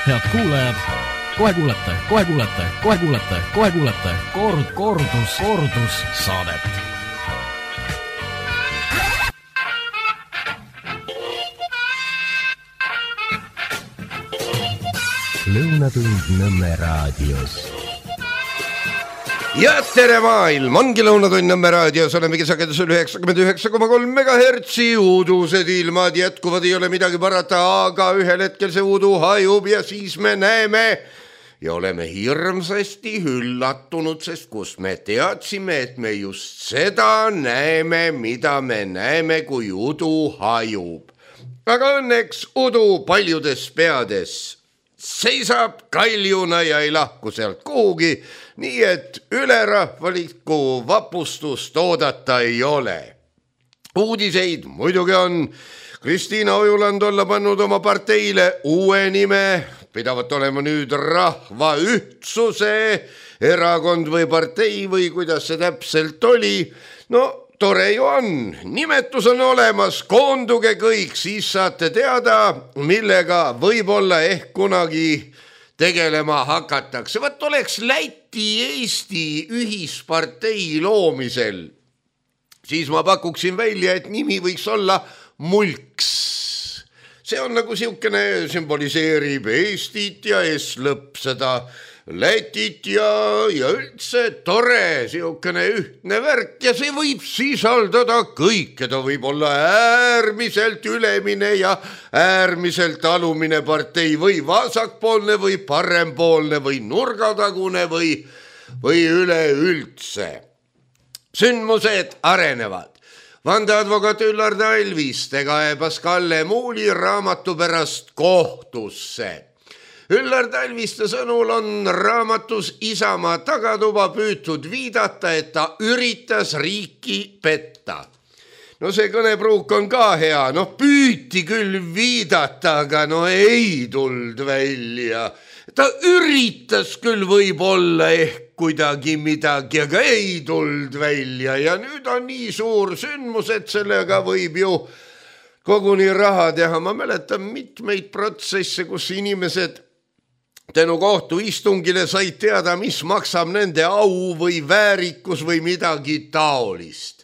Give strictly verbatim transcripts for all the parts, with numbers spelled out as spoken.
Head kuulajad, kohe kuulete, kohe kuulete, kohe kuulete, kohe kuulete kord, kordus, kordus saadet. Lõunatund Nõmme raadios. Ja tere maailm, ongi Lõunatund Nõmme raadios, olemegi sagedusel üheksakümmend üheksa koma kolm megahertsi, uudused ilmad jätkuvad, ei ole midagi parata, aga ühel hetkel see uudu hajub ja siis me näeme ja oleme hirmsasti üllatunud, sest kus me teadsime, et me just seda näeme, mida me näeme, kui udu hajub. Aga õnneks udu paljudes peades seisab kaljuna ja ei lahku sealt kuhugi, nii et ülerahvalikku vapustust oodata ei ole. Uudiseid muidugi on. Kristiina Ojuland olla pannud oma parteile uue nime, pidavat olema nüüd Rahva Ühtsuse erakond või partei või kuidas see täpselt oli. No tore ju on, nimetus on olemas, koonduge kõik, siis saate teada, millega võib-olla ehk kunagi tegelema hakatakse. Võt oleks Läti-Eesti ühispartei loomisel, siis ma pakuksin välja, et nimi võiks olla Mulks. See on nagu siukene sümboliseerib Eestit ja S-lõpp seda Lätit ja, ja üldse tore siukene ühtne värk ja see võib sisaldada kõike, ta võib olla äärmiselt ülemine ja äärmiselt alumine partei või vasakpoolne või parempoolne või nurgatagune või, või üleüldse. Sündmused arenevad. Vandeadvokaat Üllar Talviste kaebas Kalle Muuli raamatu pärast kohtusse. Üllar Talviste sõnul on raamatus Isamaa tagatuba püütud viidata, et ta üritas riiki petta. No see kõnepruuk on ka hea, no püüti küll viidata, aga no ei tuld välja. Ta üritas küll võib-olla ehk kuidagi midagi, aga ei tuld välja ja nüüd on nii suur sündmus, et sellega võib ju koguni raha teha. Ma mäletan mitmeid protsesse, kus inimesed tänu kohtuistungile said teada, mis maksab nende au või väärikus või midagi taolist.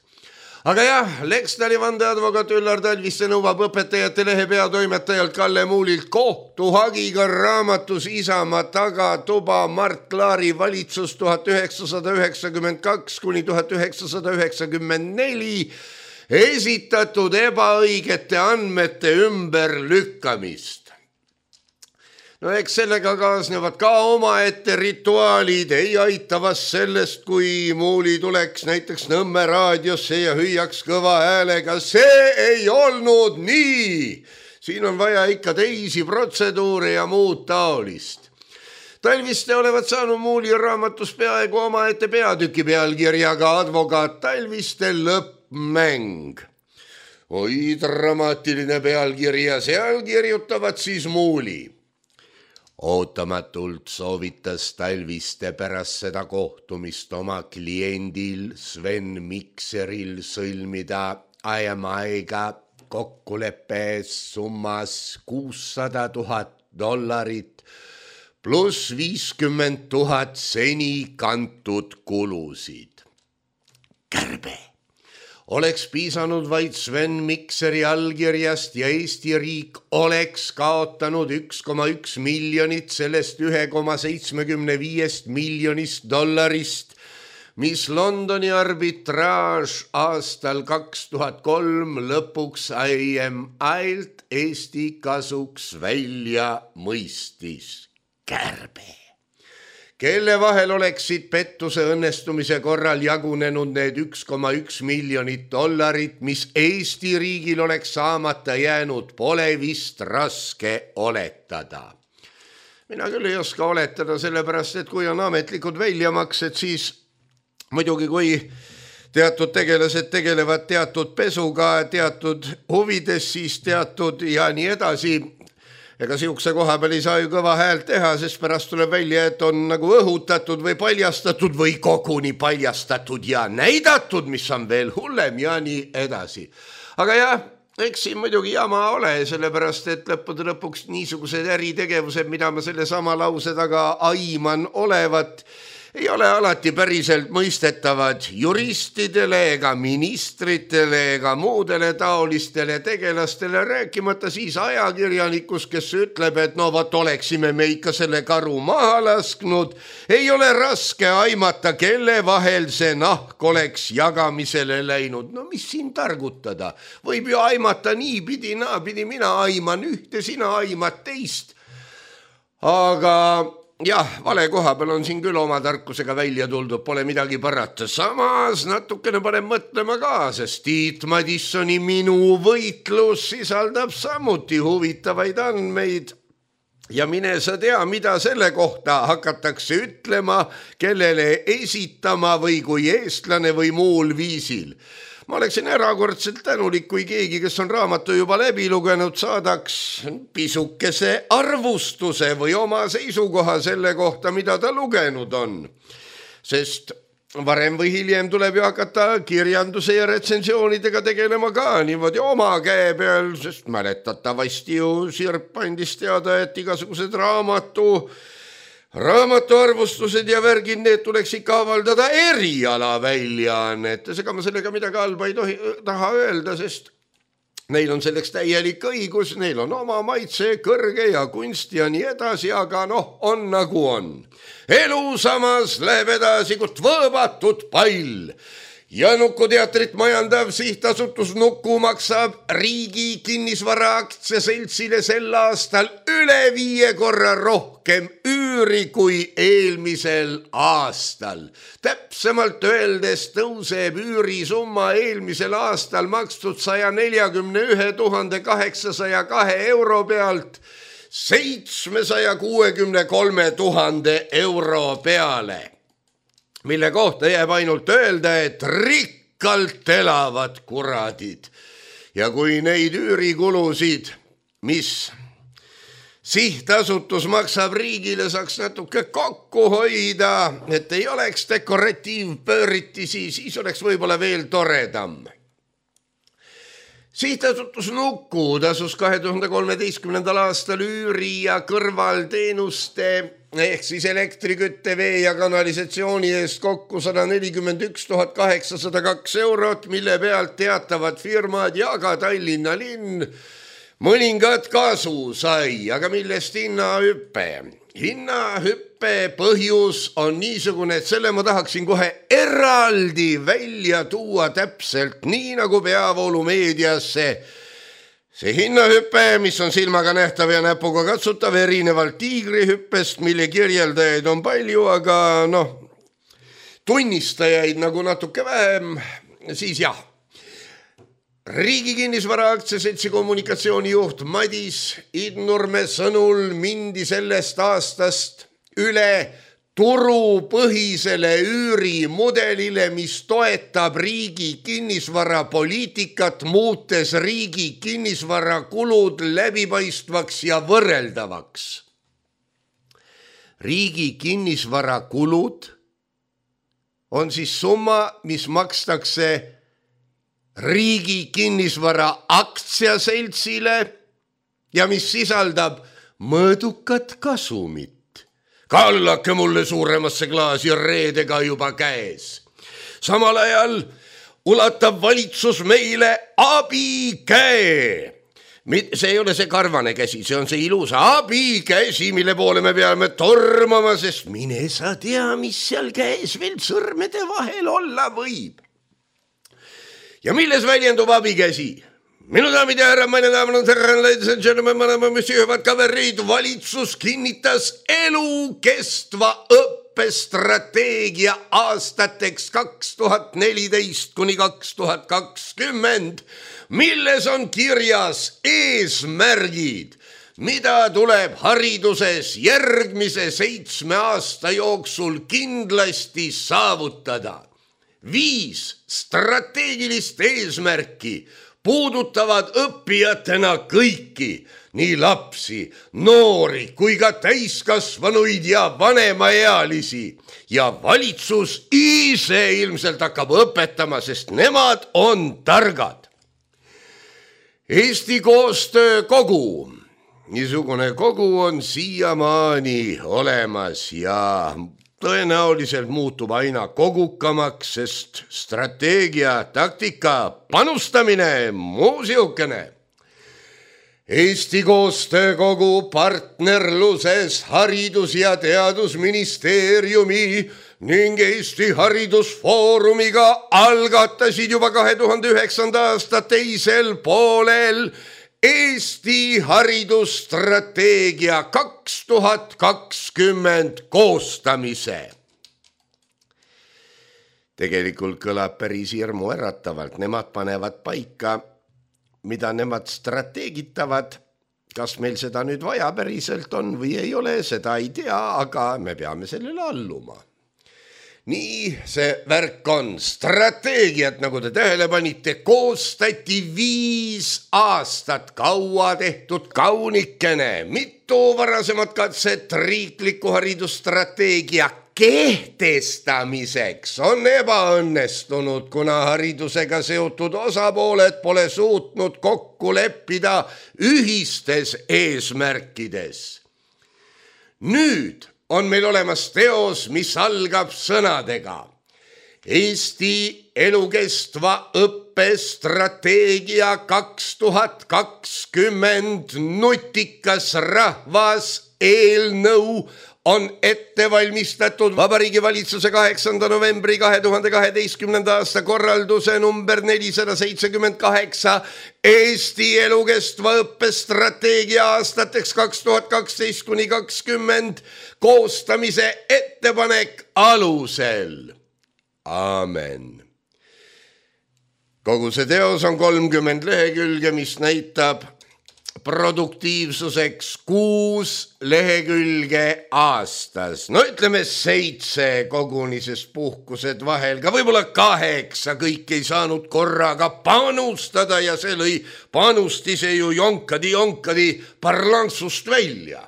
Aga jah, Lekstali vandeadvokaat Üllar Talviste nõuab õpetajate lehe peatoimetajalt Kalle Muulilt kohtuhagiga raamatus Isamaa tagatuba Mart Laari valitsus tuhat üheksasada üheksakümmend kaks kuni tuhat üheksasada üheksakümmend neli esitatud ebaõigete andmete ümberlükkamist. No eks sellega kaasnevad ka omaette rituaalid, ei aitavas sellest, kui Muuli tuleks näiteks Nõmme raadiosse ja hüüaks kõva häälega. See ei olnud nii! Siin on vaja ikka teisi protseduure ja muud taolist. Talviste olevat saanud Muuli raamatus peaaegu omaette peatüki pealkirjaga advokaat Talviste lõppmäng. Oi, dramaatiline pealkirja, seal kirjutavad siis Muuli. Ootamatult soovitas Talviste pärast seda kohtumist oma kliendil Sven Mikseril sõlmida I M I-ga kokkuleppe summas kuussada tuhat dollarit pluss viiskümmend tuhat seni kantud kulusid. Kärbe! Oleks piisanud vaid Sven Mikseri allkirjast ja Eesti riik oleks kaotanud üks koma üks miljonit sellest üks koma seitsekümmend viis miljonist dollarist, mis Londoni arbitraaž aastal kaks tuhat kolm lõpuks I M I-lt Eesti kasuks välja mõistis. Kärbe! Kelle vahel oleksid pettuse õnnestumise korral jagunenud need üks koma üks miljonit dollarit, mis Eesti riigil oleks saamata jäänud, pole vist raske oletada. Mina küll ei oska oletada, sellepärast, et kui on ametlikud väljamaksed, siis muidugi kui teatud tegelased tegelevad teatud pesuga, teatud huvides, siis teatud ja nii edasi. Ega siukse koha peal ei saa ju kõva häält teha, sest pärast tuleb välja, et on nagu õhutatud või paljastatud või koguni paljastatud ja näidatud, mis on veel hullem ja nii edasi. Aga jah, eks siin muidugi jama ole, sellepärast et lõppude lõpuks niisugused äritegevused, mida ma selle sama lause taga aiman olevat, ei ole alati päriselt mõistetavad juristidele ega ministritele ega muudele taolistele tegelastele, rääkimata siis ajakirjanikus, kes ütleb, et no vat oleksime me ikka selle karu maha lasknud, ei ole raske aimata, kelle vahel see nahk oleks jagamisele läinud. No mis siin targutada? Võib ju aimata niipidi, naapidi, mina aiman ühte, sina aimad teist. Aga jah, vale koha peal on siin küll oma tarkusega välja tuldud, pole midagi parata. Samas natukene panen mõtlema ka, sest Tiit Madissoni Minu võitlus sisaldab samuti huvitavaid andmeid. Ja mine sa tea, mida selle kohta hakatakse ütlema, kellele esitama või kui eestlane või muul viisil. Ma oleksin erakordselt tänulik, kui keegi, kes on raamatu juba läbi lugenud, saadaks pisukese arvustuse või oma seisukoha selle kohta, mida ta lugenud on. Sest varem või hiljem tuleb ju hakata kirjanduse ja retsensioonidega tegelema ka niimoodi oma käe peal, sest mäletatavasti ju Sirp andis teada, et igasugused raamatu Raamatuarvustused ja värgid, need tuleks ikka avaldada eriala väljaannetes, ega ma sellega midagi halba ei tohi, taha öelda, sest neil on selleks täielik õigus, neil on oma maitse, kõrge ja kunst ja nii edasi, aga noh, on nagu on. Elu samas läheb edasi, kut võõbatud pall. Ja Nuku teatrit majandav sihtasutus Nuku maksab riigi kinnisvara aktsiaseltsile sel aastal üle viie korra rohkem üüri kui eelmisel aastal. Täpsemalt öeldes tõuseb üürisumma eelmisel aastal makstud saja neljakümne ühe tuhande kaheksasaja kahe euro pealt seitsmesaja kuuekümne kolme tuhande euro peale, mille kohta jääb ainult öelda, et rikkalt elavad kuradid. Ja kui neid üürikulusid, mis sihtasutus maksab riigile, saaks natuke kokku hoida, et ei oleks dekoratiivpööritisi, siis oleks võib-olla veel toredam. Sihtasutus Nuku tasus kahe tuhande kolmeteistkümnendal aastal üüri ja kõrvalteenuste ehk siis elektrikütte, vee ja kanalisatsiooni eest kokku sada nelikümmend üks tuhat kaheksasada kaks eurot, mille pealt teatavad firmad ja ka Tallinna linn mõningad kasu sai, aga millest hinnahüppe? Hinnahüppe põhjus on niisugune, et selle ma tahaksin kohe eraldi välja tuua täpselt nii nagu peavoolumeediasse. See hinnahüppe, mis on silmaga nähtav ja näpuga katsutav, erinevalt tiigrihüppest, mille kirjeldajaid on palju, aga noh, tunnistajaid nagu natuke vähem, siis jah. Riigi kinnisvara aktsiaseltsi kommunikatsioonijuht Madis Idnurme sõnul mindi sellest aastast üle turupõhisele üürimudelile, mis toetab riigi kinnisvarapoliitikat, muutes riigi kinnisvarakulud läbipaistvaks ja võrreldavaks. Riigi kinnisvarakulud on siis summa, mis makstakse riigi kinnisvara aktsiaseltsile ja mis sisaldab mõõdukat kasumit. Kallake mulle suuremasse klaasi reedega juba käes. Samal ajal ulatab valitsus meile abikäe. See ei ole see karvane käsi, see on see ilus abikäsi, mille poole me peame tormama, sest mine sa tea, mis seal käes veel sõrmede vahel olla võib. Ja milles väljendub abikäsi? Minu daamid ja härra, meine daamid on härra, ladies and gentlemen, mõlema müsihüvad kaverid, valitsus kinnitas elukestva õppestrateegia aastateks kaks tuhat neliteist kuni kaks tuhat kakskümmend, milles on kirjas eesmärgid, mida tuleb hariduses järgmise seitsme aasta jooksul kindlasti saavutada. Viis strateegilist eesmärki puudutavad õppijatena kõiki, nii lapsi, noori kui ka täiskasvanuid ja vanemaealisi. Ja valitsus ise ilmselt hakkab õpetama, sest nemad on targad. Eesti Koostöökogu. Niisugune kogu on siiamaani olemas ja tõenäoliselt muutub aina kogukamaks, sest strateegia, taktika, panustamine, muu siukene. Eesti Koostöökogu partnerluses Haridus- ja Teadusministeeriumi ning Eesti Haridusfoorumiga algatasid juba kahe tuhande üheksanda aasta teisel poolel Eesti haridusstrateegia kaks tuhat kakskümmend koostamise. Tegelikult kõlab päris hirmu äratavalt. Nemad panevad paika, mida nemad strateegitavad. Kas meil seda nüüd vaja päriselt on või ei ole, seda ei tea, aga me peame sellele alluma. Nii see värk on. Strateegiat, nagu te tähele panite, koostati viis aastat, kaua tehtud kaunikene. Mitu varasemat katset riikliku haridusstrateegia kehtestamiseks on ebaõnnestunud, kuna haridusega seotud osapooled pole suutnud kokku leppida ühistes eesmärkides. Nüüd on meil olemas teos, mis algab sõnadega. Eesti elukestva õppe strateegia kaks tuhat kakskümmend nutikas rahvas eelnõu on ette valmistatud Vabariigi Valitsuse kaheksanda novembri kahe tuhande kaheteistkümnenda aasta korralduse number nelisada seitsekümmend kaheksa Eesti elukestva õppestrateegia aastateks kaks tuhat kaksteist kuni kakskümmend koostamise ettepanek alusel. Aamen. Kogu see teos on kolmkümmend lehekülge, mis näitab produktiivsuseks kuus lehekülge aastas. No ütleme seitse koguni, sest puhkused vahel, ka võib-olla kaheksa, kõik ei saanud korraga panustada ja see lõi panustise ju jonkadi-jonkadi parlantsust välja.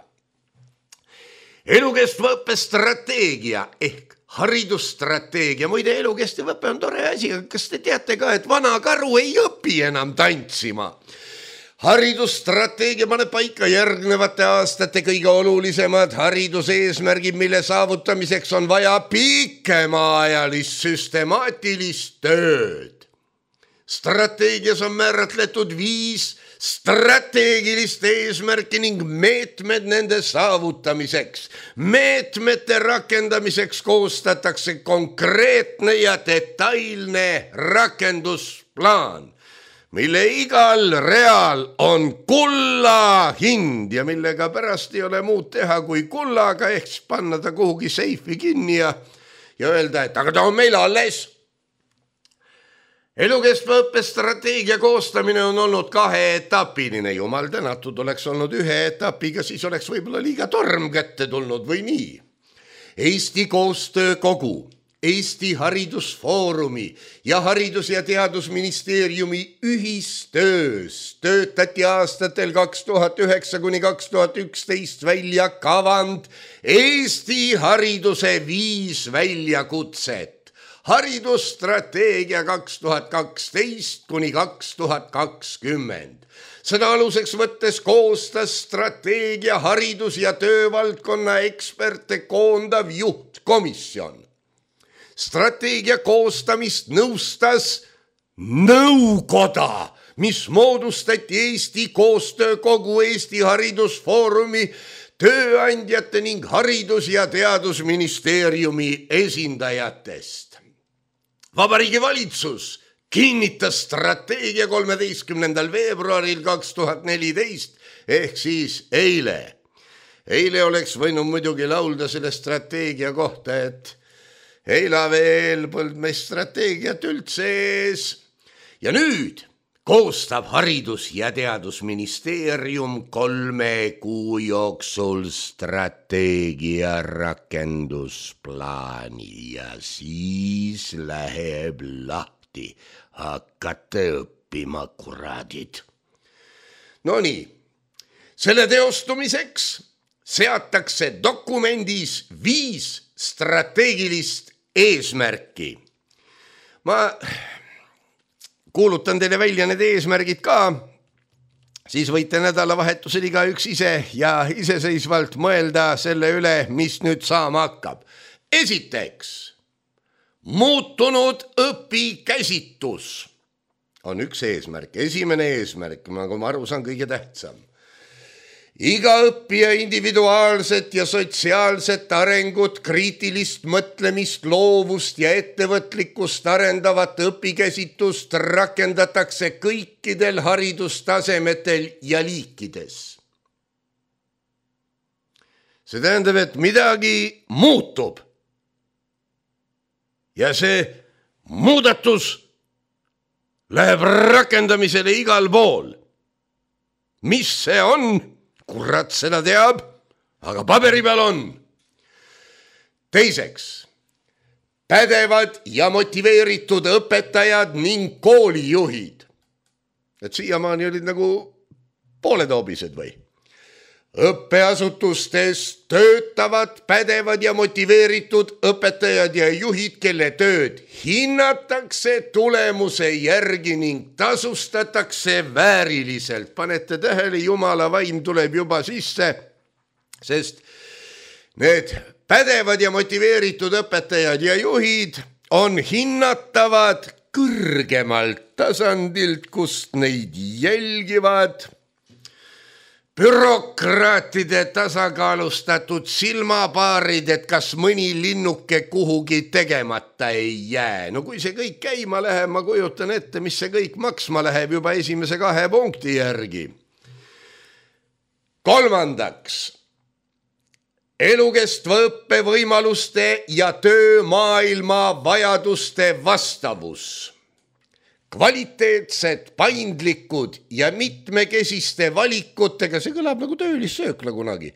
Elukestva õppestrateegia ehk haridusstrateegia. Muide, elukestev õpe on tore asi, aga kas te teate ka, et vana karu ei õpi enam tantsima? Haridusstrateegia paneb paika järgnevate aastate kõige olulisemad hariduse eesmärgid, mille saavutamiseks on vaja pikemaajalist süstemaatilist tööd. Strateegias on määratletud viis strateegilist eesmärki ning meetmed nende saavutamiseks. Meetmete rakendamiseks koostatakse konkreetne ja detailne rakendusplaan, mille igal real on kulla hind ja millega pärast ei ole muud teha kui kullaga ehk panna ta kuhugi seifi kinni ja, ja öelda, et aga ta on meil alles. Elukestva õppestrateegia koostamine on olnud kaheetapiline. Jumal tänatud, oleks olnud ühe etapiga, siis oleks võib-olla liiga torm kätte tulnud või nii. Eesti Koostöökogu, Eesti Haridusfoorumi ja Haridus- ja Teadusministeeriumi ühistöös töötati aastatel kaks tuhat üheksa kuni kaks tuhat üksteist välja kavand Eesti hariduse viis väljakutset. Haridusstrateegia kaks tuhat kaksteist kuni kaks tuhat kakskümmend. Seda aluseks võttes koostas strateegia haridus- ja töövaldkonna eksperte koondav juhtkomisjon. Strateegia koostamist nõustas nõukoda, mis moodustati Eesti Koostöökogu, Eesti Haridusfoorumi, tööandjate ning Haridus- ja Teadusministeeriumi esindajatest. Vabariigi Valitsus kinnitas strateegia kolmeteistkümnendal veebruaril kaks tuhat neliteist ehk siis eile. Eile oleks võinud muidugi laulda selle strateegia kohta, et eila veel polnud meil strateegiat üldse ees. Ja nüüd koostab Haridus- ja Teadusministeerium kolme kuu jooksul strateegia rakendusplaani ja siis läheb lahti. Hakkate õppima, kuradid. No nii, selle teostumiseks seatakse dokumendis viis strateegilist eesmärki. Ma kuulutan teile välja need eesmärgid ka siis võite nädalavahetusel igaüks ise ja iseseisvalt mõelda selle üle, mis nüüd saama hakkab. Esiteks, muutunud õpikäsitus on üks eesmärk, esimene eesmärk, nagu ma aru saan, kõige tähtsam. Iga õppija individuaalset ja sotsiaalset arengut, kriitilist mõtlemist, loovust ja ettevõtlikkust arendavat õpikäsitust rakendatakse kõikidel haridustasemetel ja liikides. See tähendab, et midagi muutub. Ja see muudatus läheb rakendamisele igal pool. Mis see on? Kurat seda teab, aga paberi peal on. Teiseks, pädevad ja motiveeritud õpetajad ning koolijuhid. Et siiamaani olid nagu pooletoobised või? Õppeasutustes töötavad pädevad ja motiveeritud õpetajad ja juhid, kelle tööd hinnatakse tulemuse järgi ning tasustatakse vääriliselt. Panete tähele, Jumala vaim tuleb juba sisse, sest need pädevad ja motiveeritud õpetajad ja juhid on hinnatavad kõrgemalt tasandilt, kust neid jälgivad bürokraatide tasakaalustatud silmapaarid, et kas mõni linnuke kuhugi tegemata ei jää. No kui see kõik käima läheb, ma kujutan ette, mis see kõik maksma läheb juba esimese kahe punkti järgi. Kolmandaks, elukestva õppe võimaluste ja töömaailma vajaduste vastavus. Kvaliteetsed, paindlikud ja mitmekesiste valikutega, see kõlab nagu töölissöökla kunagi,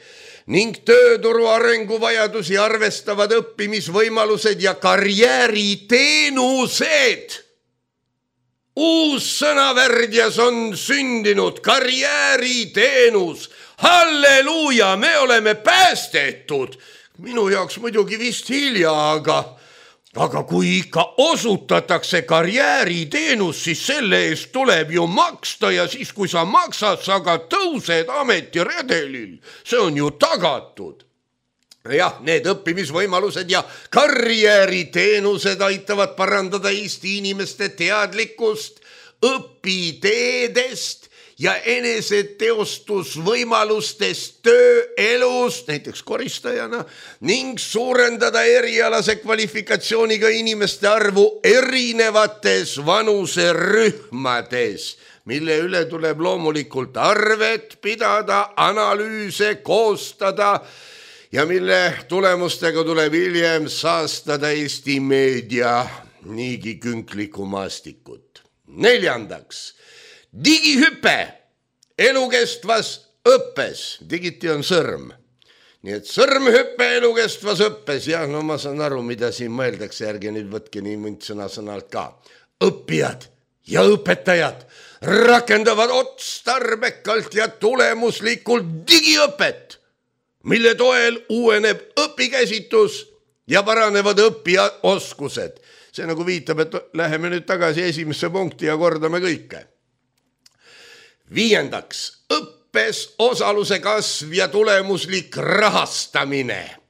ning tööturu arenguvajadusi arvestavad õppimisvõimalused ja karjääriteenused. Uus sõnavärdjas on sündinud karjääriteenus. Halleluuja, me oleme päästetud. Minu jaoks muidugi vist hilja, aga... Aga kui ikka osutatakse karjääriteenus, siis selle eest tuleb ju maksta ja siis, kui sa maksad, sa ka tõused ametiredelil. See on ju tagatud. Jah, need õppimisvõimalused ja karjääriteenused aitavad parandada Eesti inimeste teadlikkust õpiteedest ja eneseteostusvõimalustest tööelus, näiteks koristajana, ning suurendada erialase kvalifikatsiooniga inimeste arvu erinevates vanuserühmades, mille üle tuleb loomulikult arvet pidada, analüüse koostada ja mille tulemustega tuleb hiljem saastada Eesti meedia niigi künklikku maastikut. Neljandaks, digihüpe elukestvas õppes. Digiti on sõrm. Nii et sõrmhüpe elukestvas õppes. Ja no ma saan aru, mida siin mõeldakse. Järgi nüüd võtke nii mõnd sõna sõnalt ka. Õppijad ja õpetajad rakendavad otstarbekalt ja tulemuslikult digiõpet, mille toel uueneb õpikäsitus ja paranevad õppijaoskused. See nagu viitab, et läheme nüüd tagasi esimesse punkti ja kordame kõike. Viiendaks, õppes osaluse kasv ja tulemuslik rahastamine.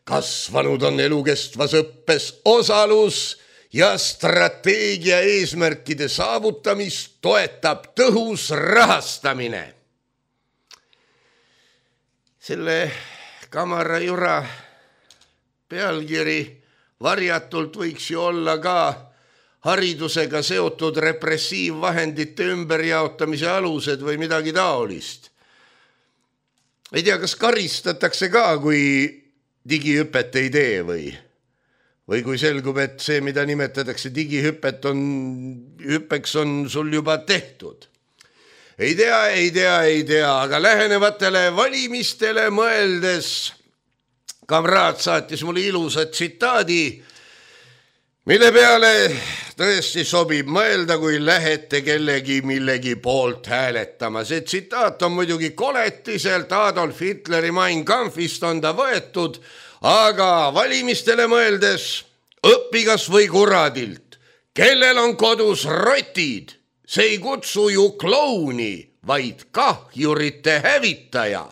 Kasvanud on elukestvas õppes osalus ja strateegia eesmärkide saavutamist toetab tõhus rahastamine. Selle kamara jura pealkiri varjatult võiks ju olla ka haridusega seotud repressiivvahendite ümberjaotamise alused või midagi taolist. Ei tea, kas karistatakse ka, kui digihüpet ei tee või? Või kui selgub, et see, mida nimetatakse digihüpet, on, hüppeks on sul juba tehtud. Ei tea, ei tea, ei tea, aga lähenevatele valimistele mõeldes kamraad saatis mulle ilusa tsitaadi, mille peale tõesti sobib mõelda, kui lähete kellegi millegi poolt hääletama. See tsitaat on muidugi koletiselt Adolf Hitleri Mein Kampfist on ta võetud, aga valimistele mõeldes õpigas või kuradilt, kellel on kodus rotid, see ei kutsu ju klouni, vaid kahjurite hävitaja.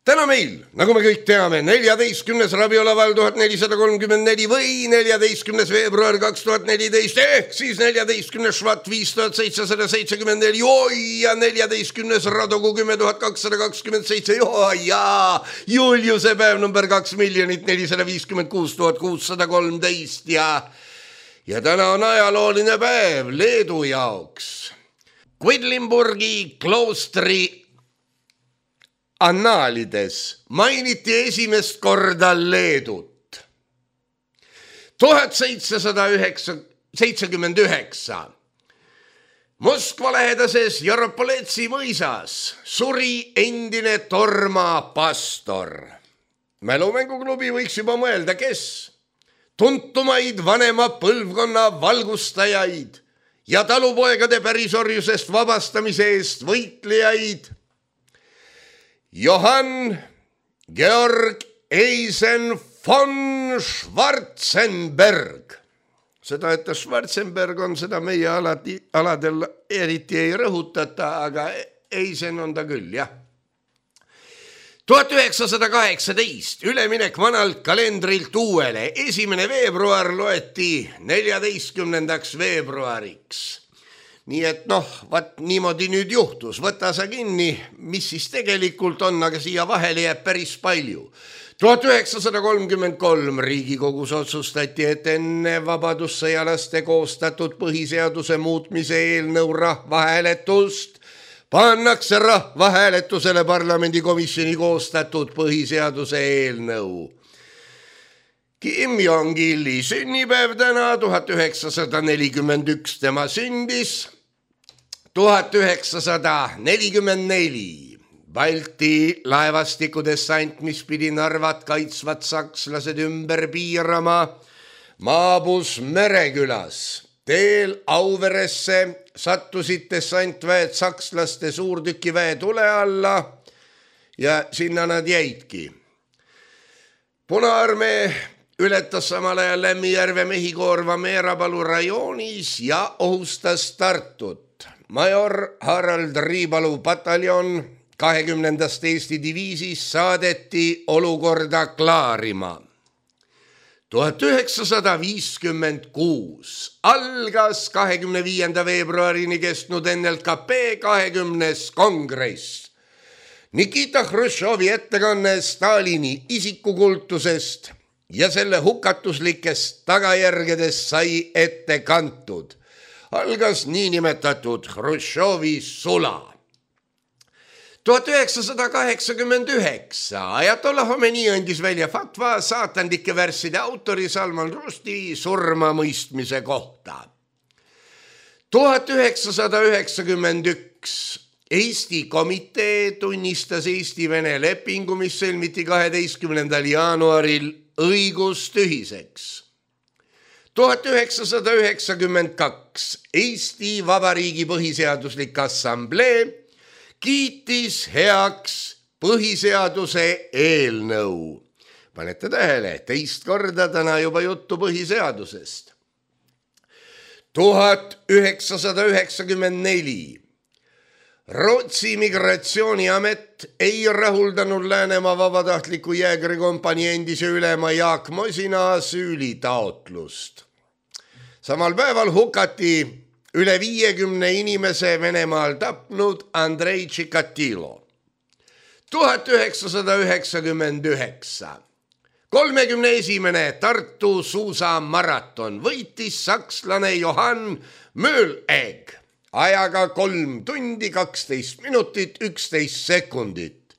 Täna meil, nagu me kõik teame, neljateistkümnes rabiolaval tuhat nelisada kolmkümmend neli või neljateistkümnes veebruar kaks tuhat neliteist ehk siis neljateistkümnes švat viis tuhat seitsesada seitsekümmend neli oi ja neljateistkümnes radogu kümme tuhat kakssada kakskümmend seitse oi ja Juliuse päev number kaks miljonit nelisada viiskümmend kuus tuhat kuussada kolmteist ja ja täna on ajalooline päev Leedu jaoks. Quedlinburgi kloostri annaalides mainiti esimest korda Leedut. tuhat seitsesada seitsekümmend üheksa. Moskva lähedases Jaropoletsi mõisas suri endine Torma pastor. Mälumänguklubi võiks juba mõelda, kes? Tuntumaid vanema põlvkonna valgustajaid ja talupoegade pärisorjusest vabastamise eest võitlejaid Johann Georg Eisen von Schwarzenberg. Seda, et Schwarzenberg on, seda meie alati, aladel eriti ei rõhutata, aga Eisen on ta küll, jah. tuhat üheksasada kaheksateist üleminek vanalt kalendrilt uuele. Esimene veebruar loeti neljateistkümnendaks veebruariks. Nii et noh, vaat niimoodi nüüd juhtus, võta sa kinni, mis siis tegelikult on, aga siia vahele jääb päris palju. tuhat üheksasada kolmkümmend kolm Riigikogus otsustati, et enne vabadussõjalaste koostatud põhiseaduse muutmise eelnõu rahvahääletust pannakse rahvahääletusele parlamendikomisjoni koostatud põhiseaduse eelnõu. Kim Jong-ili sünnipäev täna, tuhat üheksasada nelikümmend üks tema sündis, tuhat üheksasada nelikümmend neli Balti laevastikudessant, mis pidi Narvat kaitsvad sakslased ümber piirama, maabus Merekülas. Teel Auveresse sattusid dessantväed sakslaste suurtükiväe tule alla ja sinna nad jäidki. Punaarmee ületas samal ajal Lämmijärve Mehikoorva Meerapalu rajoonis ja ohustas Tartut. Major Harald Riipalu pataljon kahekümnendast Eesti diviisis saadeti olukorda klaarima. tuhat üheksasada viiskümmend kuus algas kahekümne viienda veebruarini kestnud N L K P kahekümnes kongress. Nikita Hruštšovi ettekanne Stalini isikukultusest ja selle hukatuslikest tagajärgedest sai ette kantud. Algas niinimetatud Hruštšovi sula. tuhat üheksasada kaheksakümmend üheksa Ajatollah Khomeini andis välja fatva saatandike värsside autori Salman Rushdie surma mõistmise kohta. tuhat üheksasada üheksakümmend üks Eesti komitee tunnistas Eesti-Vene lepingu, mis sõlmiti kaheteistkümnendal jaanuaril õigustühiseks. tuhat üheksasada üheksakümmend kaks Eesti Vabariigi põhiseaduslik assamblee kiitis heaks põhiseaduse eelnõu. Panete tähele, teist korda täna juba juttu põhiseadusest. tuhat üheksasada üheksakümmend neli Rootsi migratsiooniamet ei rahuldanud Läänemaa vabatahtliku jäägrikompanii endise ülema Jaak Mosina asüülitaotlust. Samal päeval hukati üle viiekümne inimese Venemaal tapnud Andrei Tšikatilo. tuhat üheksasada üheksakümmend üheksa kolmekümne esimene Tartu suusamaraton võitis sakslane Johann Möhlegg ajaga kolm tundi, kaksteist minutit, üksteist sekundit.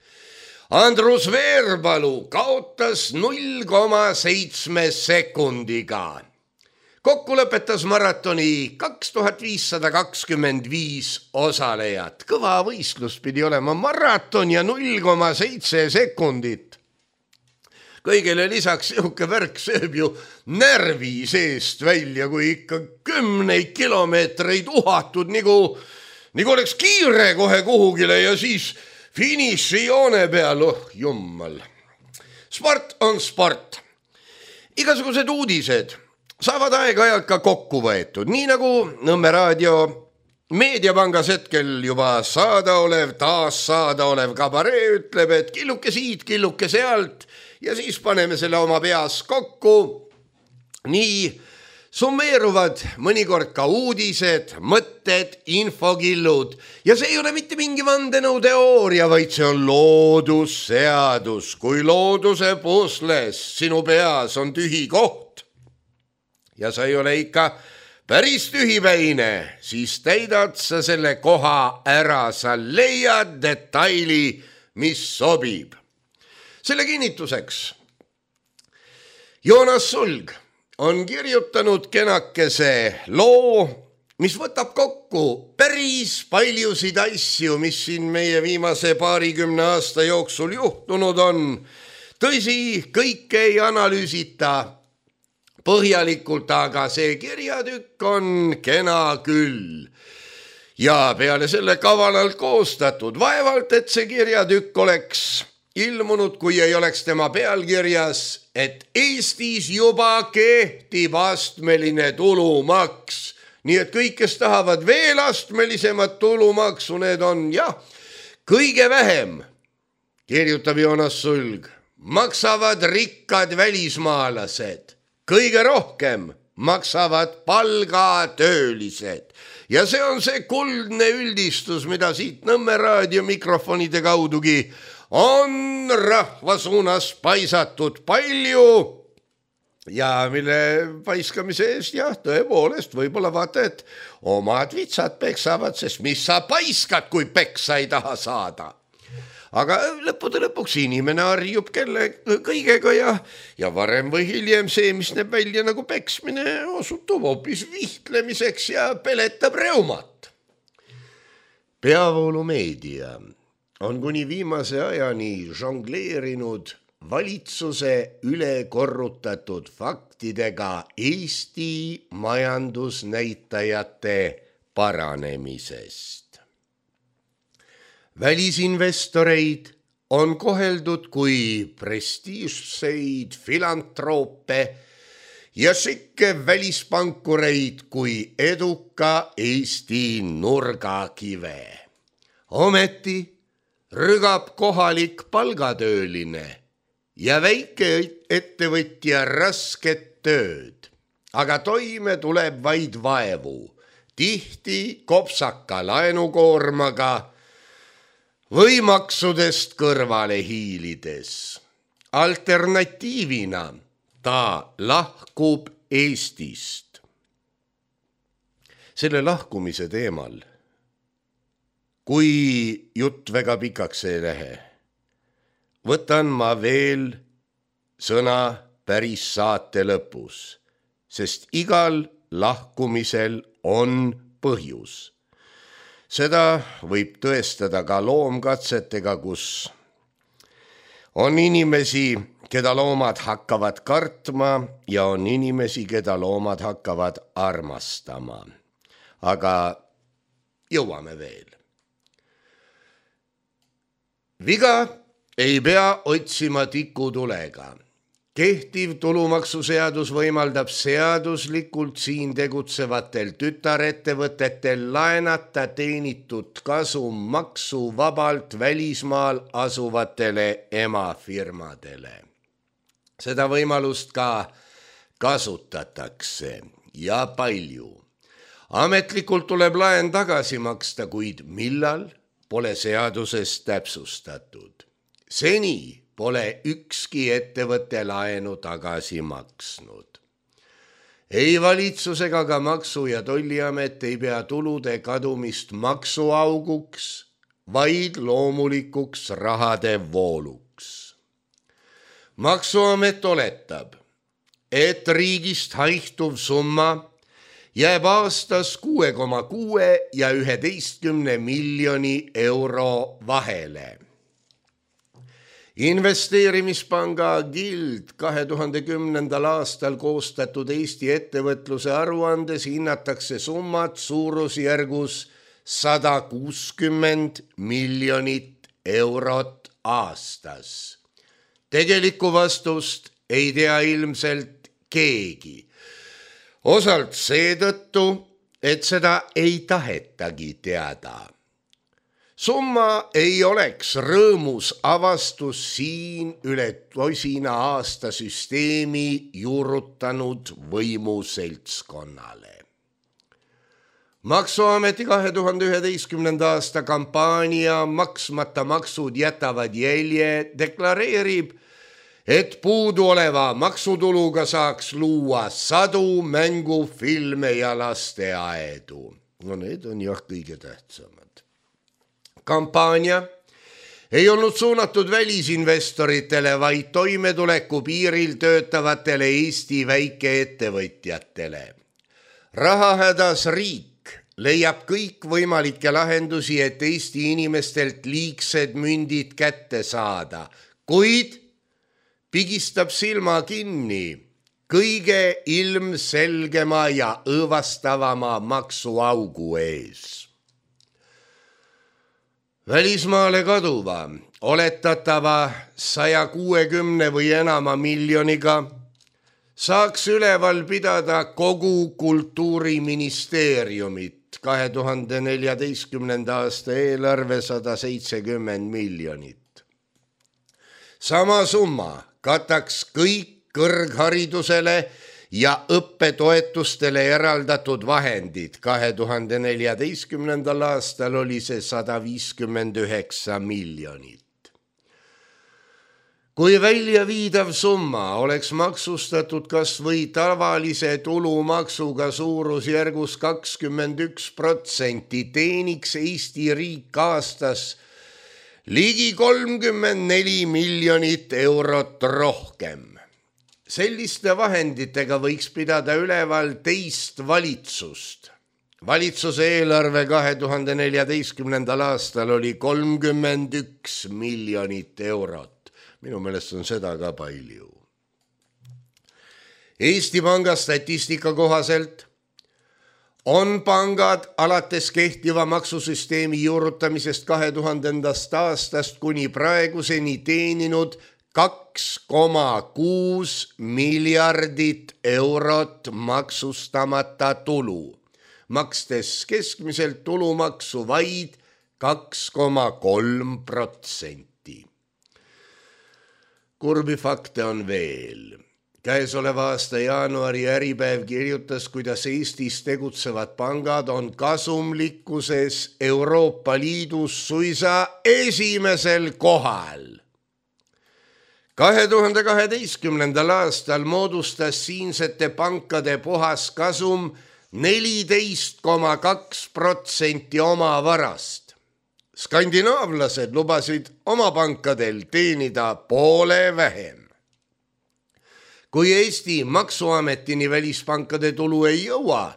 Andrus Veerpalu kaotas null koma seitse sekundiga. Kokku lõpetas maratoni kaks tuhat viissada kakskümmend viis osalejat. Kõva võistlus pidi olema maraton ja null koma seitse sekundit. Kõigele lisaks sihuke värk sööb ju närvi seest välja, kui ikka kümneid kilomeetreid uhatud, nagu, nagu oleks kiire kohe kuhugile ja siis finišijoone peal, oh jummal. Sport on sport. Igasugused uudised saavad aeg-ajalt ka kokku võetud, nii nagu Nõmme raadio Meediapangas hetkel juba saada olev, taas saada olev kabaree ütleb, et killuke siit, killuke sealt ja siis paneme selle oma peas kokku. Nii summeeruvad mõnikord ka uudised, mõtted, infokillud ja see ei ole mitte mingi vandenõuteooria, vaid see on loodusseadus. Kui looduse pusles sinu peas on tühi koht ja sa ei ole ikka päris tühipäine, siis täidad sa selle koha ära, sa leiad detaili, mis sobib. Selle kinnituseks Joonas Sulg on kirjutanud kenakese loo, mis võtab kokku päris paljusid asju, mis siin meie viimase paarikümne aasta jooksul juhtunud on. Tõsi, kõike ei analüüsita põhjalikult, aga see kirjatükk on kena küll. Ja peale selle kavalalt koostatud, vaevalt, et see kirjatükk oleks ilmunud, kui ei oleks tema pealkirjas, et Eestis juba kehtib astmeline tulumaks. Nii et kõik, kes tahavad veel astmelisemat tulumaksu, need on, jah, kõige vähem, kirjutab Joonas Sulg, maksavad rikkad välismaalased. Kõige rohkem maksavad palgatöölised ja see on see kuldne üldistus, mida siit Nõmme raadio mikrofonide kaudugi on rahva suunas paisatud palju ja mille paiskamise eest jah, tõepoolest võib-olla vaata, et omad vitsad peksavad, sest mis sa paiskad, kui peksa ei taha saada. Aga lõppude lõpuks inimene harjub kelle kõigega ja, ja varem või hiljem see, mis näeb välja nagu peksmine, osutub hoopis vihtlemiseks ja peletab reumat. Peavoolumeedia on kuni viimase ajani žongleerinud valitsuse üle korrutatud faktidega Eesti majandusnäitajate paranemisest. Välisinvestoreid on koheldud kui prestiižseid filantroope ja sikke välispankureid kui eduka Eesti nurgakive. Ometi rügab kohalik palgatööline ja väike ettevõtja rasket tööd, aga toime tuleb vaid vaevu, tihti kopsaka laenukoormaga või maksudest kõrvale hiilides. Alternatiivina ta lahkub Eestist. Selle lahkumise teemal, kui jutt väga pikaks ei lähe, võtan ma veel sõna päris saate lõpus, sest igal lahkumisel on põhjus. Seda võib tõestada ka loomkatsetega, kus on inimesi, keda loomad hakkavad kartma ja on inimesi, keda loomad hakkavad armastama. Aga jõuame veel. Viga ei pea otsima tikutulega. Kehtiv tulumaksuseadus võimaldab seaduslikult siin tegutsevatel tütarettevõtetel laenata teenitud kasum maksuvabalt välismaal asuvatele emafirmadele. Seda võimalust ka kasutatakse ja palju. Ametlikult tuleb laen tagasi maksta, kuid millal pole seaduses täpsustatud. Seni pole ükski ettevõtte laenu tagasi maksnud. Ei valitsus ega ka Maksu- ja Tolliamet ei pea tulude kadumist maksuauguks, vaid loomulikuks rahade vooluks. Maksuamet oletab, et riigist haihtuv summa jääb aastas kuue koma kuue ja üheteistkümne miljoni euro vahele. Investeerimispanga Gild kahe tuhande kümnendal aastal koostatud Eesti ettevõtluse aruandes hinnatakse summat suurusjärgus sada kuuskümmend miljonit eurot aastas. Tegelikku vastust ei tea ilmselt keegi. Osalt seetõttu, et seda ei tahetagi teada. Summa ei oleks rõõmus avastus siin üle tosina aasta süsteemi juurutanud võimuseltskonnale. Maksuameti kahe tuhande üheteistkümnenda aasta kampaania Maksmata maksud jätavad jälje deklareerib, et puuduoleva maksutuluga saaks luua sadu mängufilme ja lasteaedu. No need on jah kõige tähtsamad. Kampaania ei olnud suunatud välisinvestoritele, vaid toimetuleku piiril töötavatele Eesti väikeettevõtjatele. Rahahädas riik leiab kõik võimalikke lahendusi, et Eesti inimestelt liigsed mündid kätte saada, kuid pigistab silma kinni kõige ilmselgema ja õõvastavama maksuaugu ees. Välismaale kaduva, oletatava saja kuuekümne või enama miljoniga saaks üleval pidada kogu kultuuriministeeriumit, kahe tuhande neljateistkümnenda aasta eelarve sada seitsekümmend miljonit. Sama summa kataks kõik kõrgharidusele ja õppetoetustele eraldatud vahendid. kahe tuhande neljateistkümnendal aastal oli see sada viiskümmend üheksa miljonit. Kui välja viidav summa oleks maksustatud kas või tavalise tulumaksuga suurusjärgus kakskümmend üks protsenti, teeniks Eesti riik aastas ligi kolmkümmend neli miljonit eurot rohkem. Selliste vahenditega võiks pidada üleval teist valitsust. Valitsuse eelarve kahe tuhande neljateistkümnendal aastal oli kolmkümmend üks miljonit eurot. Minu meelest on seda ka palju. Eesti Panga statistika kohaselt on pangad alates kehtiva maksusüsteemi juurutamisest kahe tuhandendast aastast kuni praeguseni teeninud kaks koma kuus miljardit eurot maksustamata tulu, makstes keskmiselt tulumaksu vaid kaks koma kolm protsenti. Kurbi fakte on veel. Käesoleva aasta jaanuari Äripäev kirjutas, kuidas Eestis tegutsevad pangad on kasumlikkuses Euroopa Liidus suisa esimesel kohal. kahe tuhande kaheteistkümnendal aastal moodustas siinsete pankade puhaskasum neliteist koma kaks protsenti oma varast. Skandinaavlased lubasid oma pankadel teenida poole vähem. Kui Eesti maksuametini välispankade tulu ei jõua,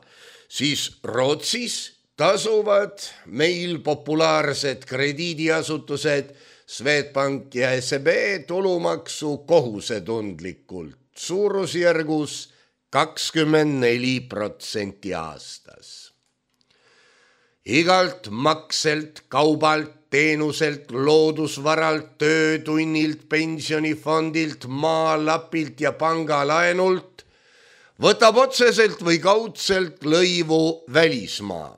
siis Rootsis tasuvad meil populaarsed krediidiasutused Swedbank ja S E B tulumaksu kohusetundlikult suurusjärgus kakskümmend neli protsenti aastas. Igalt makselt, kaubalt, teenuselt, loodusvaralt, töötunnilt, pensionifondilt, maalapilt ja pangalaenult võtab otseselt või kaudselt lõivu välismaa,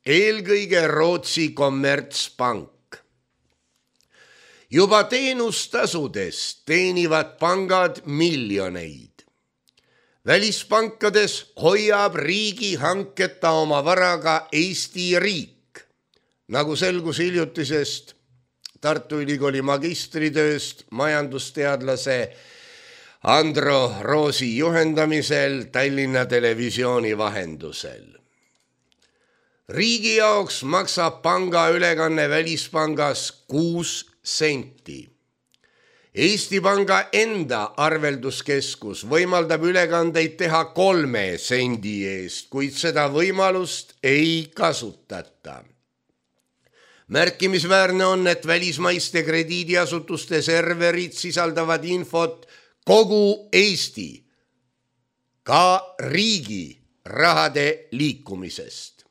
eelkõige Rootsi kommertspank. Juba teenustasudest teenivad pangad miljoneid. Välispankades hoiab riigi hanketa oma varaga Eesti riik, nagu selgus hiljutisest Tartu Ülikooli magistritööst majandusteadlase Andro Roosi juhendamisel Tallinna Televisiooni vahendusel. Riigi jaoks maksab panga ülekanne välispangas kuus senti. Eesti Panga enda arvelduskeskus võimaldab ülekandeid teha kolme sendi eest, kuid seda võimalust ei kasutata. Märkimisväärne on, et välismaiste krediidiasutuste serverid sisaldavad infot kogu Eesti, ka riigi rahade liikumisest.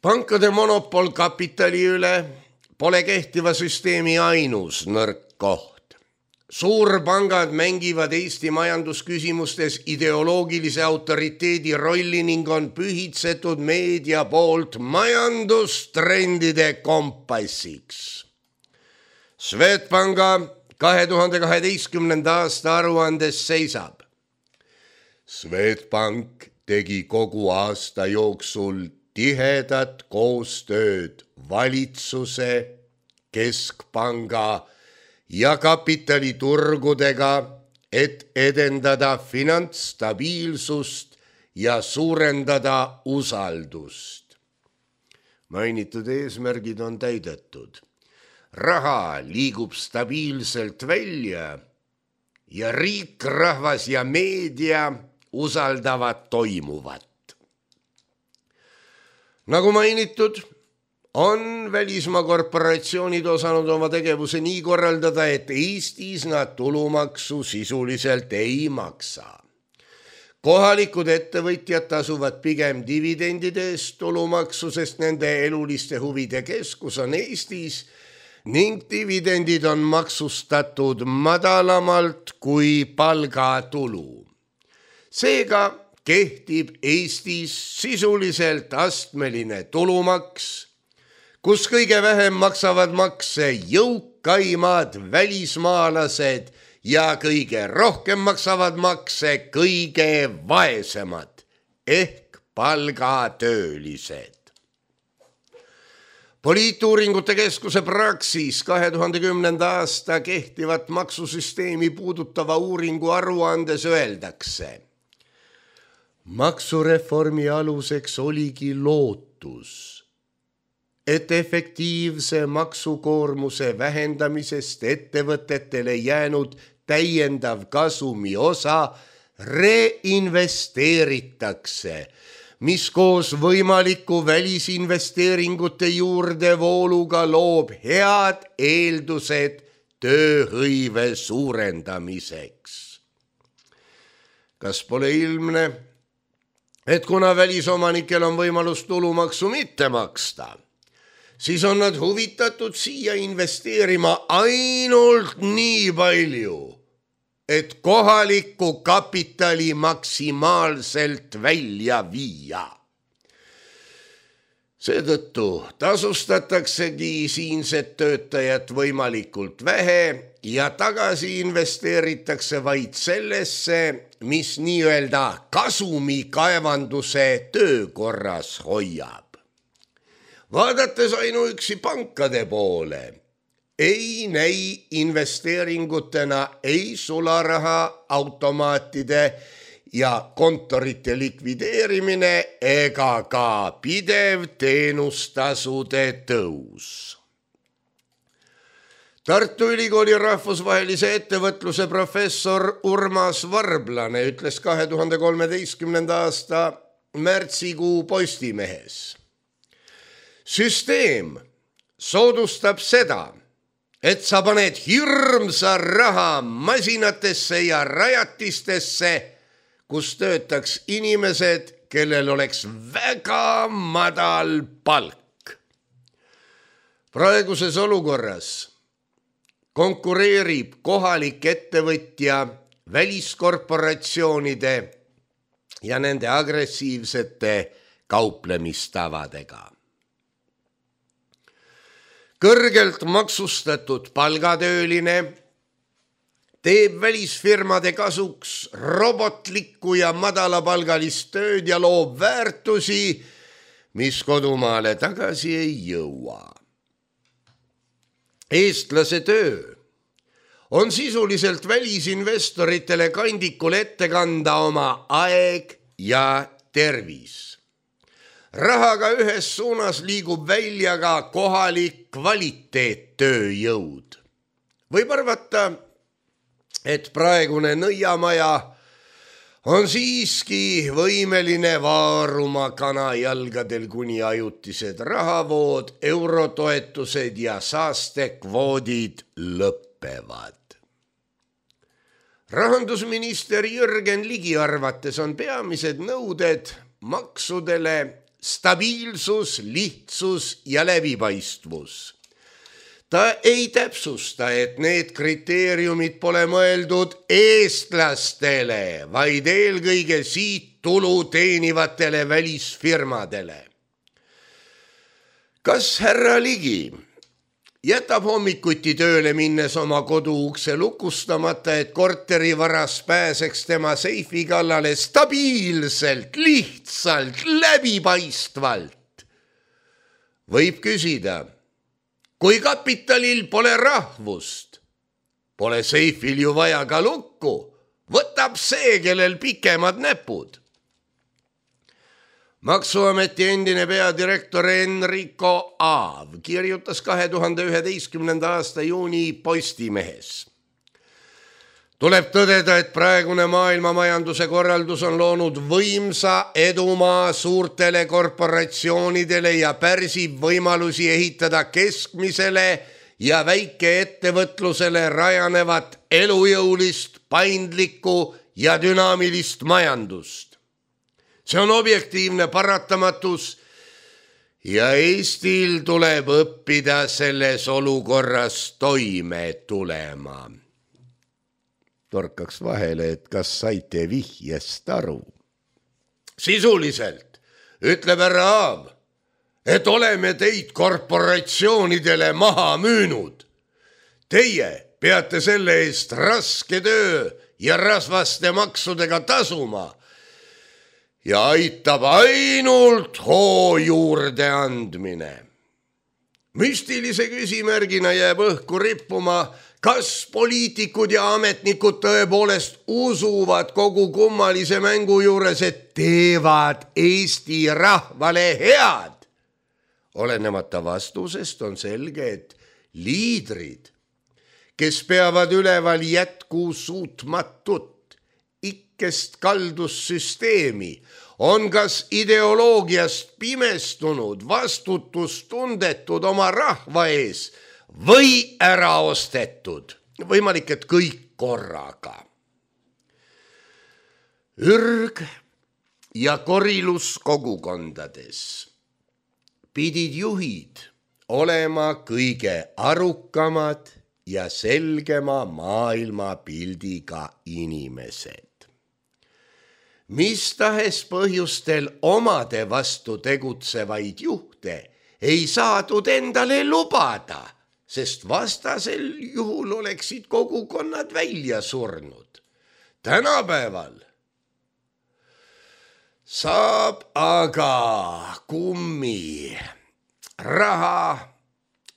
Pankade monopol kapitali üle pole kehtiva süsteemi ainus nõrk koht. suurpangad mängivad Eesti majandusküsimustes ideoloogilise autoriteedi rolli ning on pühitsetud meedia poolt majandustrendide kompassiks. Swedbanka kahe tuhande kaheteistkümnenda aasta aruandes seisab. Swedbank tegi kogu aasta jooksul tihedat koostööd valitsuse, keskpanga ja kapitaliturgudega, et edendada finantsstabiilsust ja suurendada usaldust. Mainitud eesmärgid on täidetud. Raha liigub stabiilselt välja ja riik, rahvas ja meedia usaldavad toimuvat. Nagu mainitud, on välismaa korporatsioonid osanud oma tegevuse nii korraldada, et Eestis nad tulumaksu sisuliselt ei maksa. Kohalikud ettevõtjad tasuvad pigem dividendide eest tulumaksu, sest nende eluliste huvide keskus on Eestis ning dividendid on maksustatud madalamalt kui palgatulu. Seega kehtib Eestis sisuliselt astmeline tulumaks, kus kõige vähem maksavad makse jõukaimad välismaalased ja kõige rohkem maksavad makse kõige vaesemad ehk palgatöölised. Poliituuringute keskuse Praxis kahe tuhande kümnenda aasta kehtivat maksusüsteemi puudutava uuringu aruandes öeldakse. Maksureformi aluseks oligi lootus, et efektiivse maksukoormuse vähendamisest ettevõtetele jäänud täiendav kasumi osa reinvesteeritakse, mis koos võimaliku välisinvesteeringute juurdevooluga loob head eeldused tööhõive suurendamiseks. Kas pole ilmne, et kuna välisomanikel on võimalus tulumaksu mitte maksta, siis on nad huvitatud siia investeerima ainult nii palju, et kohalikku kapitali maksimaalselt välja viia. Seetõttu tasustataksegi siinset töötajat võimalikult vähe ja tagasi investeeritakse vaid sellesse, mis nii-öelda kasumikaevanduse töökorras hoiab. Vaadates ainuüksi pankade poole, ei näi investeeringutena ei sularaha automaatide ja kontorite likvideerimine ega ka pidev teenustasude tõus. Tartu Ülikooli rahvusvahelise ettevõtluse professor Urmas Varblane ütles kahe tuhande kolmeteistkümnenda aasta märtsikuu Postimehes. Süsteem soodustab seda, et sa paned hirmsa raha masinatesse ja rajatistesse, kus töötaks inimesed, kellel oleks väga madal palk. Praeguses olukorras konkureerib kohalik ettevõtja väliskorporatsioonide ja nende agressiivsete kauplemistavadega. Kõrgelt maksustatud palgatööline teeb välisfirmade kasuks robotlikku ja madalapalgalist tööd ja loob väärtusi, mis kodumaale tagasi ei jõua. Eestlase töö on sisuliselt välisinvestoritele kandikul ette kanda oma aeg ja tervis. Rahaga ühes suunas liigub välja ka kohalik kvaliteettööjõud. Võib arvata, et praegune nõiamaja on siiski võimeline vaaruma kanajalgadel, kuni ajutised rahavood, eurotoetused ja saastekvoodid lõppevad. Rahandusminister Jürgen Ligi arvates on peamised nõuded maksudele stabiilsus, lihtsus ja läbipaistvus. Ta ei täpsusta, et need kriteeriumid pole mõeldud eestlastele, vaid eelkõige siit tulu teenivatele välisfirmadele. Kas härra Ligi jätab hommikuti tööle minnes oma koduukse lukustamata, et korterivaras pääseks tema seifi kallale stabiilselt, lihtsalt, läbipaistvalt? Võib küsida, kui kapitalil pole rahvust, pole seifil ju vaja ka lukku, võtab see, kellel pikemad näpud. Maksuameti endine peadirektor Enrico Aav kirjutas kahe tuhande üheteistkümnenda aasta juuni Postimehes. Tuleb tõdeda, et praegune maailma majanduse korraldus on loonud võimsa edumaa suurtele korporatsioonidele ja pärsib võimalusi ehitada keskmisele ja väikeettevõtlusele rajanevat elujõulist, paindlikku ja dünaamilist majandust. See on objektiivne paratamatus ja Eestil tuleb õppida selles olukorras toime tulema. Torkaks vahele, et kas saite vihjest aru. Sisuliselt ütleb härra Aav, et oleme teid korporatsioonidele maha müünud. Teie peate selle eest raske töö ja rasvaste maksudega tasuma ja aitab ainult hoo juurde andmine. Müstilise küsimärgina jääb õhku rippuma, kas poliitikud ja ametnikud tõepoolest usuvad kogu kummalise mängu juures, et teevad Eesti rahvale head. Olenemata vastusest on selge, et liidrid, kes peavad üleval jätku suutmatut, ikkest kaldussüsteemi, on kas ideoloogiast pimestunud, vastutustundetud oma rahva ees või ära ostetud. Võimalik, et kõik korraga. Ürg ja korilus kogukondades pidid juhid olema kõige arukamad ja selgema maailmapildiga inimesed. Mis tahes põhjustel omade vastu tegutsevaid juhte ei saadud endale lubada, sest vastasel juhul oleksid kogukonnad välja surnud. Tänapäeval saab aga kummi raha,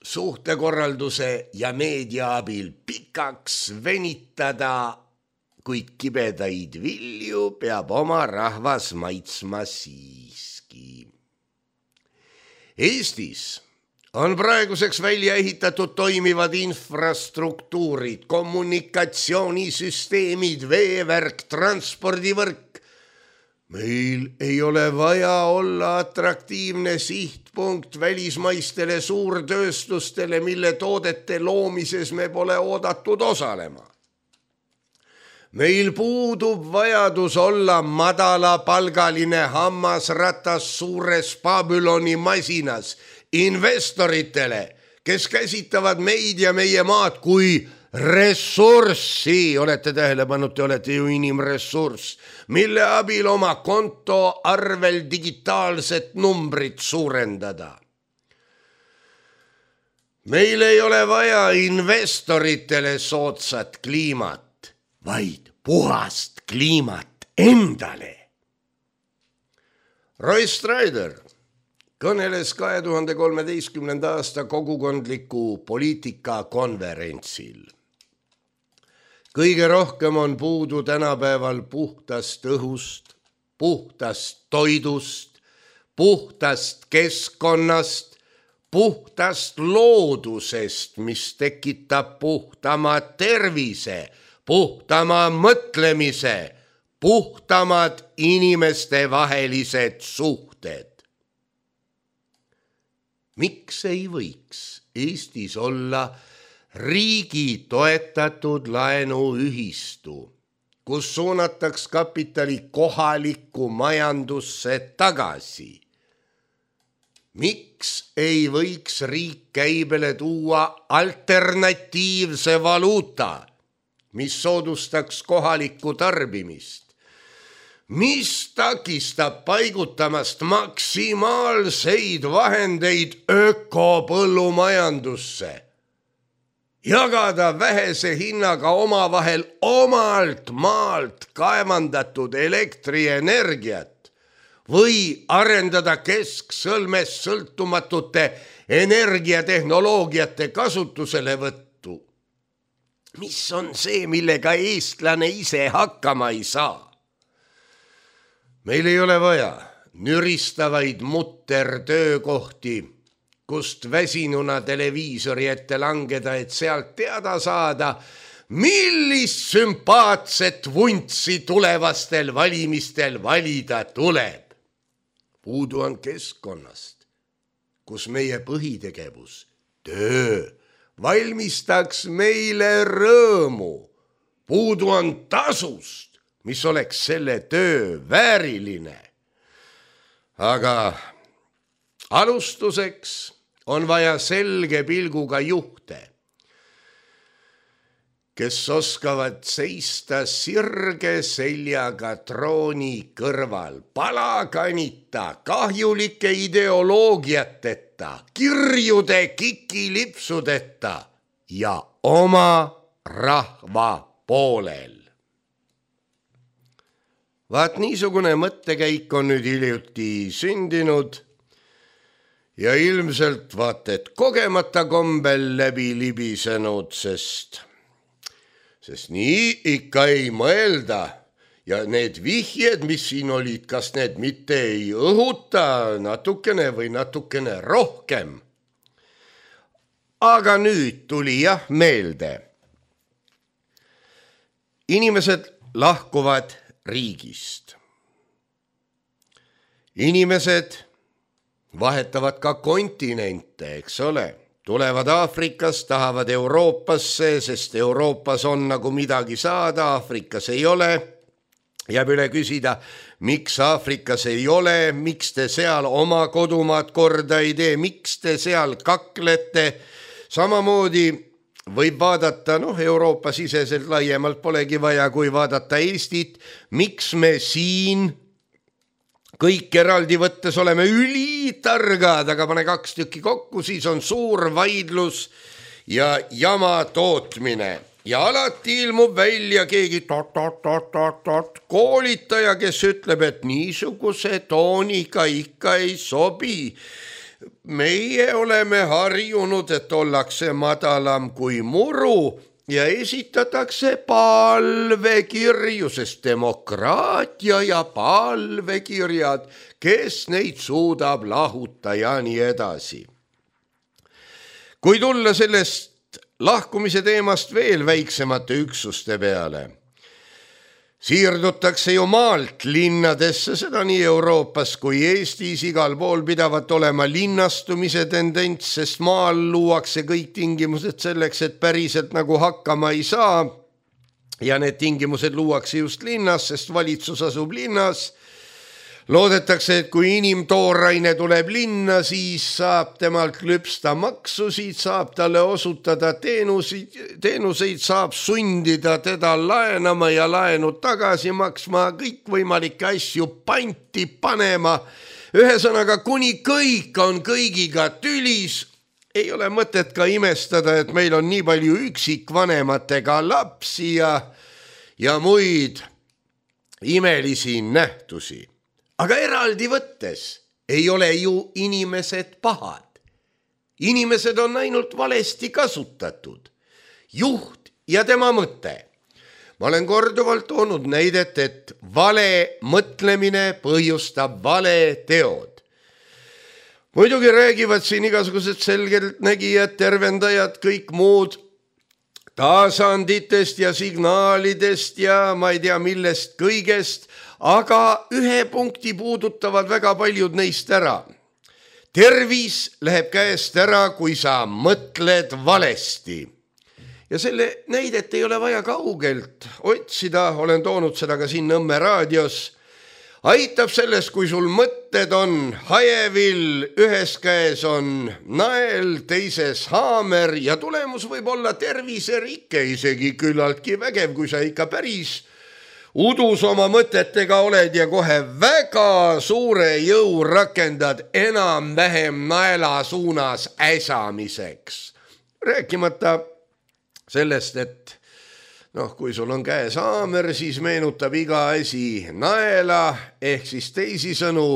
suhtekorralduse ja meedia abil pikaks venitada, kuid kibedaid vilju peab oma rahvas maitsma siiski. Eestis on praeguseks välja ehitatud toimivad infrastruktuurid, kommunikatsioonisüsteemid, veevärk, transpordivõrk. Meil ei ole vaja olla atraktiivne sihtpunkt välismaistele suurtööstustele, mille toodete loomises me pole oodatud osalema. Meil puudub vajadus olla madalapalgaline hammasratas suures Babyloni masinas investoritele, kes käsitavad meid ja meie maad kui ressurssi, olete tähele pannud, te olete ju inimressurss, mille abil oma konto arvel digitaalset numbrit suurendada. Meil ei ole vaja investoritele soodsat kliimat, vaid puhast kliimat endale. Roy Strider kõneles kahe tuhande kolmeteistkümnenda aasta kogukondliku poliitika konverentsil. Kõige rohkem on puudu tänapäeval puhtast õhust, puhtast toidust, puhtast keskkonnast, puhtast loodusest, mis tekitab puhtama tervise, puhtama mõtlemise, puhtamad inimeste vahelised suhted. Miks ei võiks Eestis olla riigi toetatud laenuühistu, kus suunataks kapitali kohalikku majandusse tagasi? miks ei võiks riik käibele tuua alternatiivse valuuta, mis soodustaks kohalikku tarbimist? Mis takistab paigutamast maksimaalseid vahendeid ökopõllumajandusse? Jagada vähese hinnaga omavahel omalt maalt kaevandatud elektrienergiat või arendada kesksõlmest sõltumatute energiatehnoloogiate kasutuselevõttu. Mis on see, millega eestlane ise hakkama ei saa? Meil ei ole vaja nüristavaid muttertöökohti, kust väsinuna televiisori ette langeda, et sealt teada saada, millist sümpaatset vuntsi tulevastel valimistel valida tuleb. Puudu on keskkonnast, kus meie põhitegevus, töö, valmistaks meile rõõmu. Puudu on tasust, mis oleks selle töö vääriline. Aga alustuseks on vaja selge pilguga juhte, kes oskavad seista sirge seljaga trooni kõrval, palakanita, kahjulike ideoloogiateta, kirjude kikilipsudeta ja oma rahva poolel. Vaat niisugune mõttekäik on nüüd hiljuti sündinud ja ilmselt vaat et kogemata kombel läbi libisenud, sest, sest nii ikka ei mõelda ja need vihjed, mis siin olid, kas need mitte ei õhuta natukene või natukene rohkem. Aga nüüd tuli jah meelde. Inimesed lahkuvad riigist. Inimesed vahetavad ka kontinente, eks ole. Tulevad Aafrikast, tahavad Euroopasse, sest Euroopas on nagu midagi saada, Aafrikas ei ole. Jääb üle küsida, miks Aafrikas ei ole, miks te seal oma kodumaad korda ei tee, miks te seal kaklete. Samamoodi võib vaadata, noh, Euroopa siseselt laiemalt polegi vaja, kui vaadata Eestit, miks me siin kõik eraldi võttes oleme ülitargad, aga pane kaks tükki kokku, siis on suur vaidlus ja jama tootmine. Ja alati ilmub välja keegi tot, tot, tot, tot, tot, koolitaja, kes ütleb, et niisuguse tooniga ikka ei sobi. Meie oleme harjunud, et ollakse madalam kui muru ja esitatakse palvekirju, sest demokraatia ja palvekirjad, kes neid suudab lahuta ja nii edasi. Kui tulla sellest lahkumise teemast veel väiksemate üksuste peale, siirdutakse ju maalt linnadesse, seda nii Euroopas kui Eestis, igal pool pidavat olema linnastumise tendents, sest maal luuakse kõik tingimused selleks, et päriselt nagu hakkama ei saa. Ja need tingimused luuakse just linnas, sest valitsus asub linnas. Loodetakse, et kui inimtooraine tuleb linna, siis saab temalt lüpsta maksusid, saab talle osutada teenuseid, teenuseid, saab sundida teda laenama ja laenu tagasi maksma, kõik võimalikke asju panti panema. Ühesõnaga, kuni kõik on kõigiga tülis, ei ole mõtet ka imestada, et meil on nii palju üksikvanematega lapsi ja, ja muid imelisi nähtusi. Aga eraldi võttes ei ole ju inimesed pahad. Inimesed on ainult valesti kasutatud. Juht ja tema mõte. Ma olen korduvalt toonud näidet, et vale mõtlemine põhjustab vale teod. Muidugi räägivad siin igasugused selgeltnägijad, tervendajad, kõik muud tasanditest ja signaalidest ja ma ei tea millest kõigest, aga ühe punkti puudutavad väga paljud neist ära. Tervis läheb käest ära, kui sa mõtled valesti. Ja selle näidet ei ole vaja kaugelt otsida, olen toonud seda ka siin Nõmme raadios. aitab selles, kui sul mõtted on hajevill, ühes käes on nael, teises haamer ja tulemus võib olla terviserike, isegi küllaltki vägev, kui sa ikka päris udus oma mõtetega oled ja kohe väga suure jõu rakendad enam-vähem naela suunas äsamiseks. Rääkimata sellest, et noh, kui sul on käes haamer, siis meenutab iga asi naela, ehk siis teisisõnu,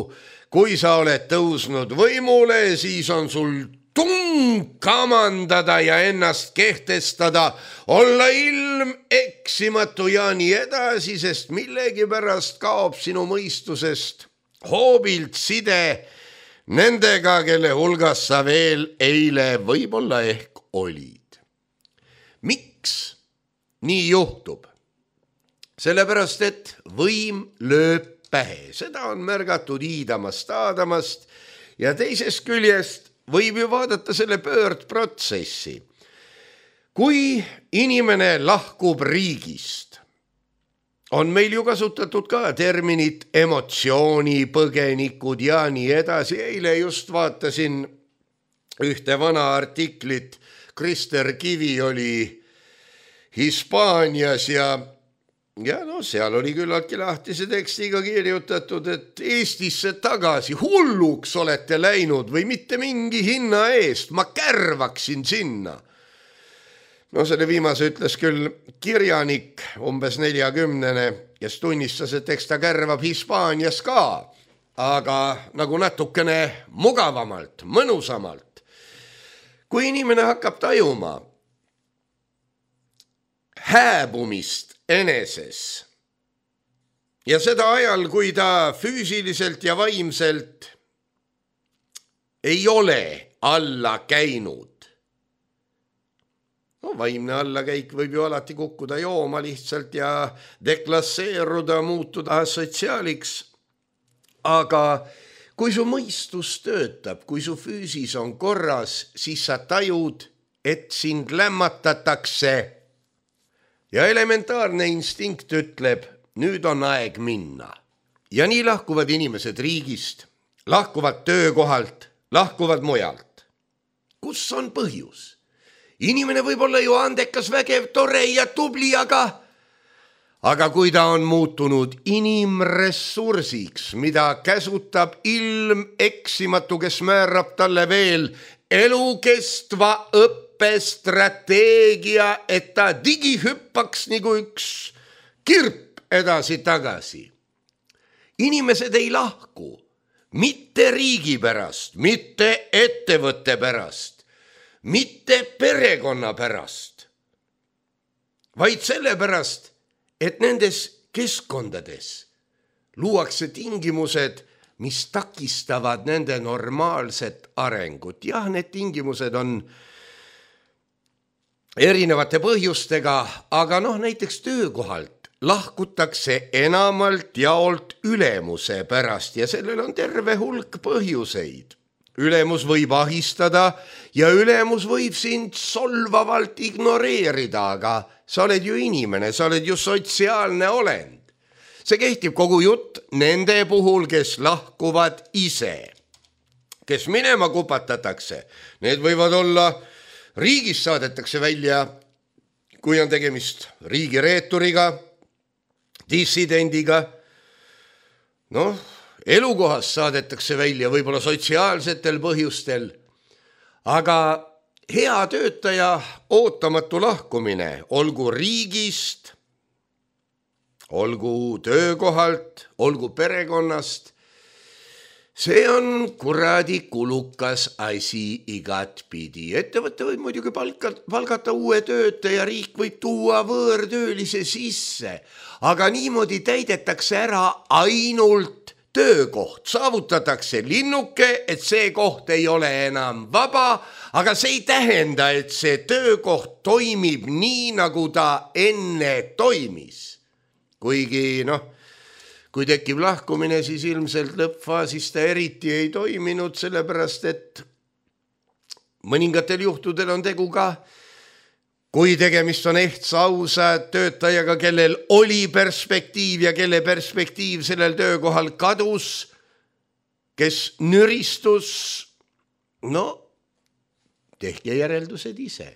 kui sa oled tõusnud võimule, siis on sul tung kamandada ja ennast kehtestada, olla ilm eksimatu ja nii edasi, sest millegipärast kaob sinu mõistusest hoobilt side nendega, kelle hulgas sa veel eile võib-olla ehk olid. Miks nii juhtub? Sellepärast, et võim lööb pähe. Seda on märgatud iidamast aadamast ja teisest küljest võib ju vaadata selle pöördprotsessi. Kui inimene lahkub riigist, on meil ju kasutatud ka terminit emotsioonipõgenikud ja nii edasi. Eile just vaatasin ühte vana artiklit. Krister Kivi oli Hispaanias ja Ja no seal oli küllaltki lahtise tekstiga kirjutatud, et Eestisse tagasi hulluks olete läinud või mitte mingi hinna eest, ma kärvaksin sinna. No selle viimase ütles küll kirjanik umbes neljakümnene, kes tunnistas, et eks ta kärvab Hispaanias ka, aga nagu natukene mugavamalt, mõnusamalt. Kui inimene hakkab tajuma hääbumist eneses ja seda ajal, kui ta füüsiliselt ja vaimselt ei ole alla käinud. No, vaimne allakäik võib ju alati kukkuda jooma lihtsalt ja deklasseeruda, muutuda sotsiaaliks. Aga kui su mõistus töötab, kui su füüsis on korras, siis sa tajud, et sind lämmatatakse. Ja elementaarne instinkt ütleb, nüüd on aeg minna. Ja nii lahkuvad inimesed riigist, lahkuvad töökohalt, lahkuvad mujalt. Kus on põhjus? Inimene võib olla ju andekas, vägev, tore ja tubli, aga, aga kui ta on muutunud inimressursiks, mida käsutab ilm eksimatu, kes määrab talle veel elukestva õppe, strateegia, et ta digihüppaks nagu üks kirp edasi-tagasi. Inimesed ei lahku mitte riigi pärast, mitte ettevõtte pärast, mitte perekonna pärast, vaid selle pärast, et nendes keskkondades luuakse tingimused, mis takistavad nende normaalset arengut. Jah, need tingimused on erinevate põhjustega, aga noh, näiteks töökohalt lahkutakse enamalt jaolt ülemuse pärast ja sellel on terve hulk põhjuseid. Ülemus võib ahistada ja ülemus võib sind solvavalt ignoreerida, aga sa oled ju inimene, sa oled ju sotsiaalne olend. See kehtib kogu jutt nende puhul, kes lahkuvad ise, kes minema kupatatakse. Need võivad olla riigis saadetakse välja, kui on tegemist riigireeturiga, dissidendiga. Noh, elukohas saadetakse välja võib-olla sotsiaalsetel põhjustel, aga hea töötaja ootamatu lahkumine, olgu riigist, olgu töökohalt, olgu perekonnast, see on kuradi kulukas asi igat pidi. Ettevõtte võib muidugi palgata uue töötaja, riik võib tuua võõrtöölise sisse, aga niimoodi täidetakse ära ainult töökoht. Saavutatakse linnuke, et see koht ei ole enam vaba, aga see ei tähenda, et see töökoht toimib nii, nagu ta enne toimis. Kuigi, noh, kui tekib lahkumine, siis ilmselt lõppfaasis ta eriti ei toiminud, sellepärast et mõningatel juhtudel on tegu ka kui tegemist on ehtsa ausa töötajaga, kellel oli perspektiiv ja kelle perspektiiv sellel töökohal kadus, kes nüristus, no tehke järeldused ise.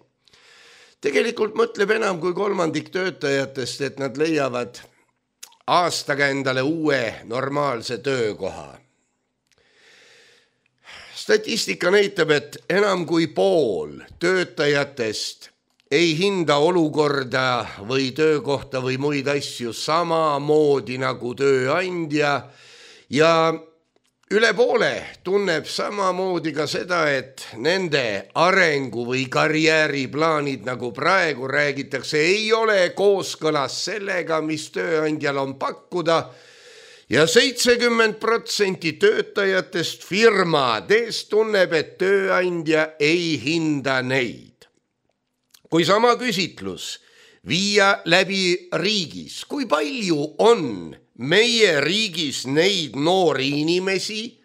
Tegelikult mõtleb enam kui kolmandik töötajatest, et nad leiavad aastaga endale uue normaalse töökoha. Statistika näitab, et enam kui pool töötajatest ei hinda olukorda või töökohta või muid asju samamoodi nagu tööandja ja üle poole tunneb samamoodi ka seda, et nende arengu või karjääriplaanid, nagu praegu räägitakse, ei ole kooskõlas sellega, mis tööandjal on pakkuda ja seitsekümmend protsenti töötajatest firmades tunneb, et tööandja ei hinda neid. Kui sama küsitlus viia läbi riigis, kui palju on meie riigis neid noori inimesi,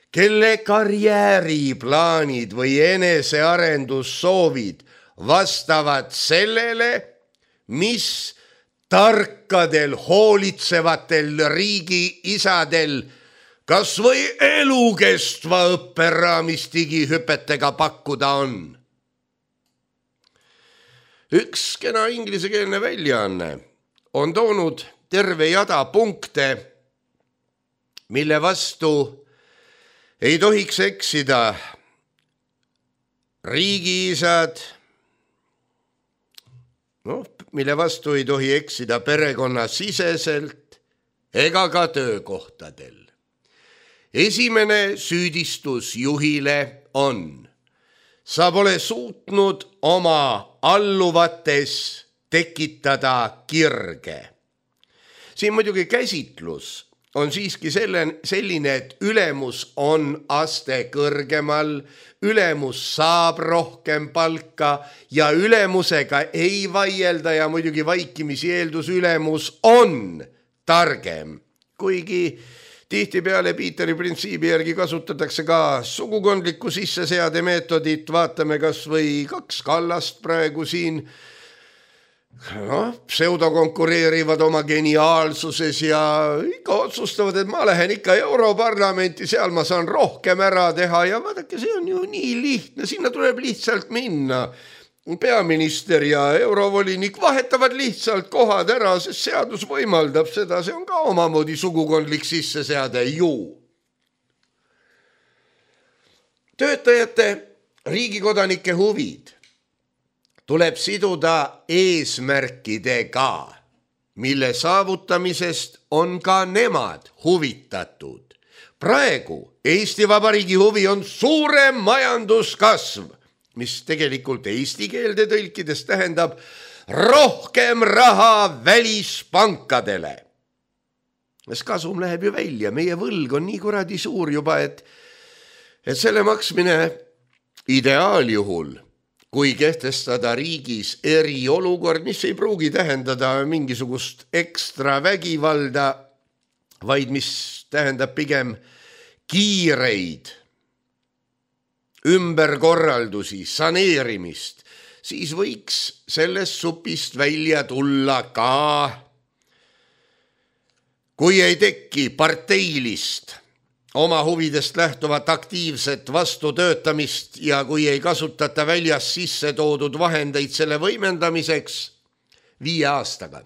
kelle karjääriplaanid või enesearendussoovid vastavad sellele, mis tarkadel, hoolitsevatel riigi isadel kas või elukestva õpperaamistigi hüpetega pakkuda on. Üks kena inglisekeelne väljaanne on toonud terve jada punkte, mille vastu ei tohiks eksida riigiisad, no, mille vastu ei tohi eksida perekonnasiseselt ega ka töökohtadel. Esimene süüdistus juhile on: sa pole suutnud oma alluvates tekitada kirge. Siin muidugi käsitlus on siiski selline, et ülemus on aste kõrgemal, ülemus saab rohkem palka ja ülemusega ei vaielda ja muidugi vaikimisi eeldus ülemus on targem. Kuigi tihtipeale Piiteri printsiibi järgi kasutatakse ka sugukondlikku sisseseade meetodit, vaatame kas või kaks kallast praegu siin, no, pseudokonkureerivad oma geniaalsuses ja ikka otsustavad, et ma lähen ikka Europarlamenti, seal ma saan rohkem ära teha ja vaadake, see on ju nii lihtne, sinna tuleb lihtsalt minna. Peaminister ja eurovolinik vahetavad lihtsalt kohad ära, sest seadus võimaldab seda, see on ka omamoodi sugukondlik sisseseade ju. Töötajate, riigikodanike huvid tuleb siduda eesmärkidega, mille saavutamisest on ka nemad huvitatud. Praegu Eesti Vabariigi huvi on suurem majanduskasv, mis tegelikult eesti keelde tõlkides tähendab rohkem raha välispankadele. Kas kasum läheb ju välja, meie võlg on nii kuradi suur juba, et, et selle maksmine ideaaljuhul, kui kehtestada riigis eriolukord, mis ei pruugi tähendada mingisugust ekstra vägivalda, vaid mis tähendab pigem kiireid ümberkorraldusi, saneerimist, siis võiks sellest supist välja tulla ka, kui ei teki parteilist oma huvidest lähtuvat aktiivset vastutöötamist ja kui ei kasutata väljas sisse toodud vahendeid selle võimendamiseks viie aastaga.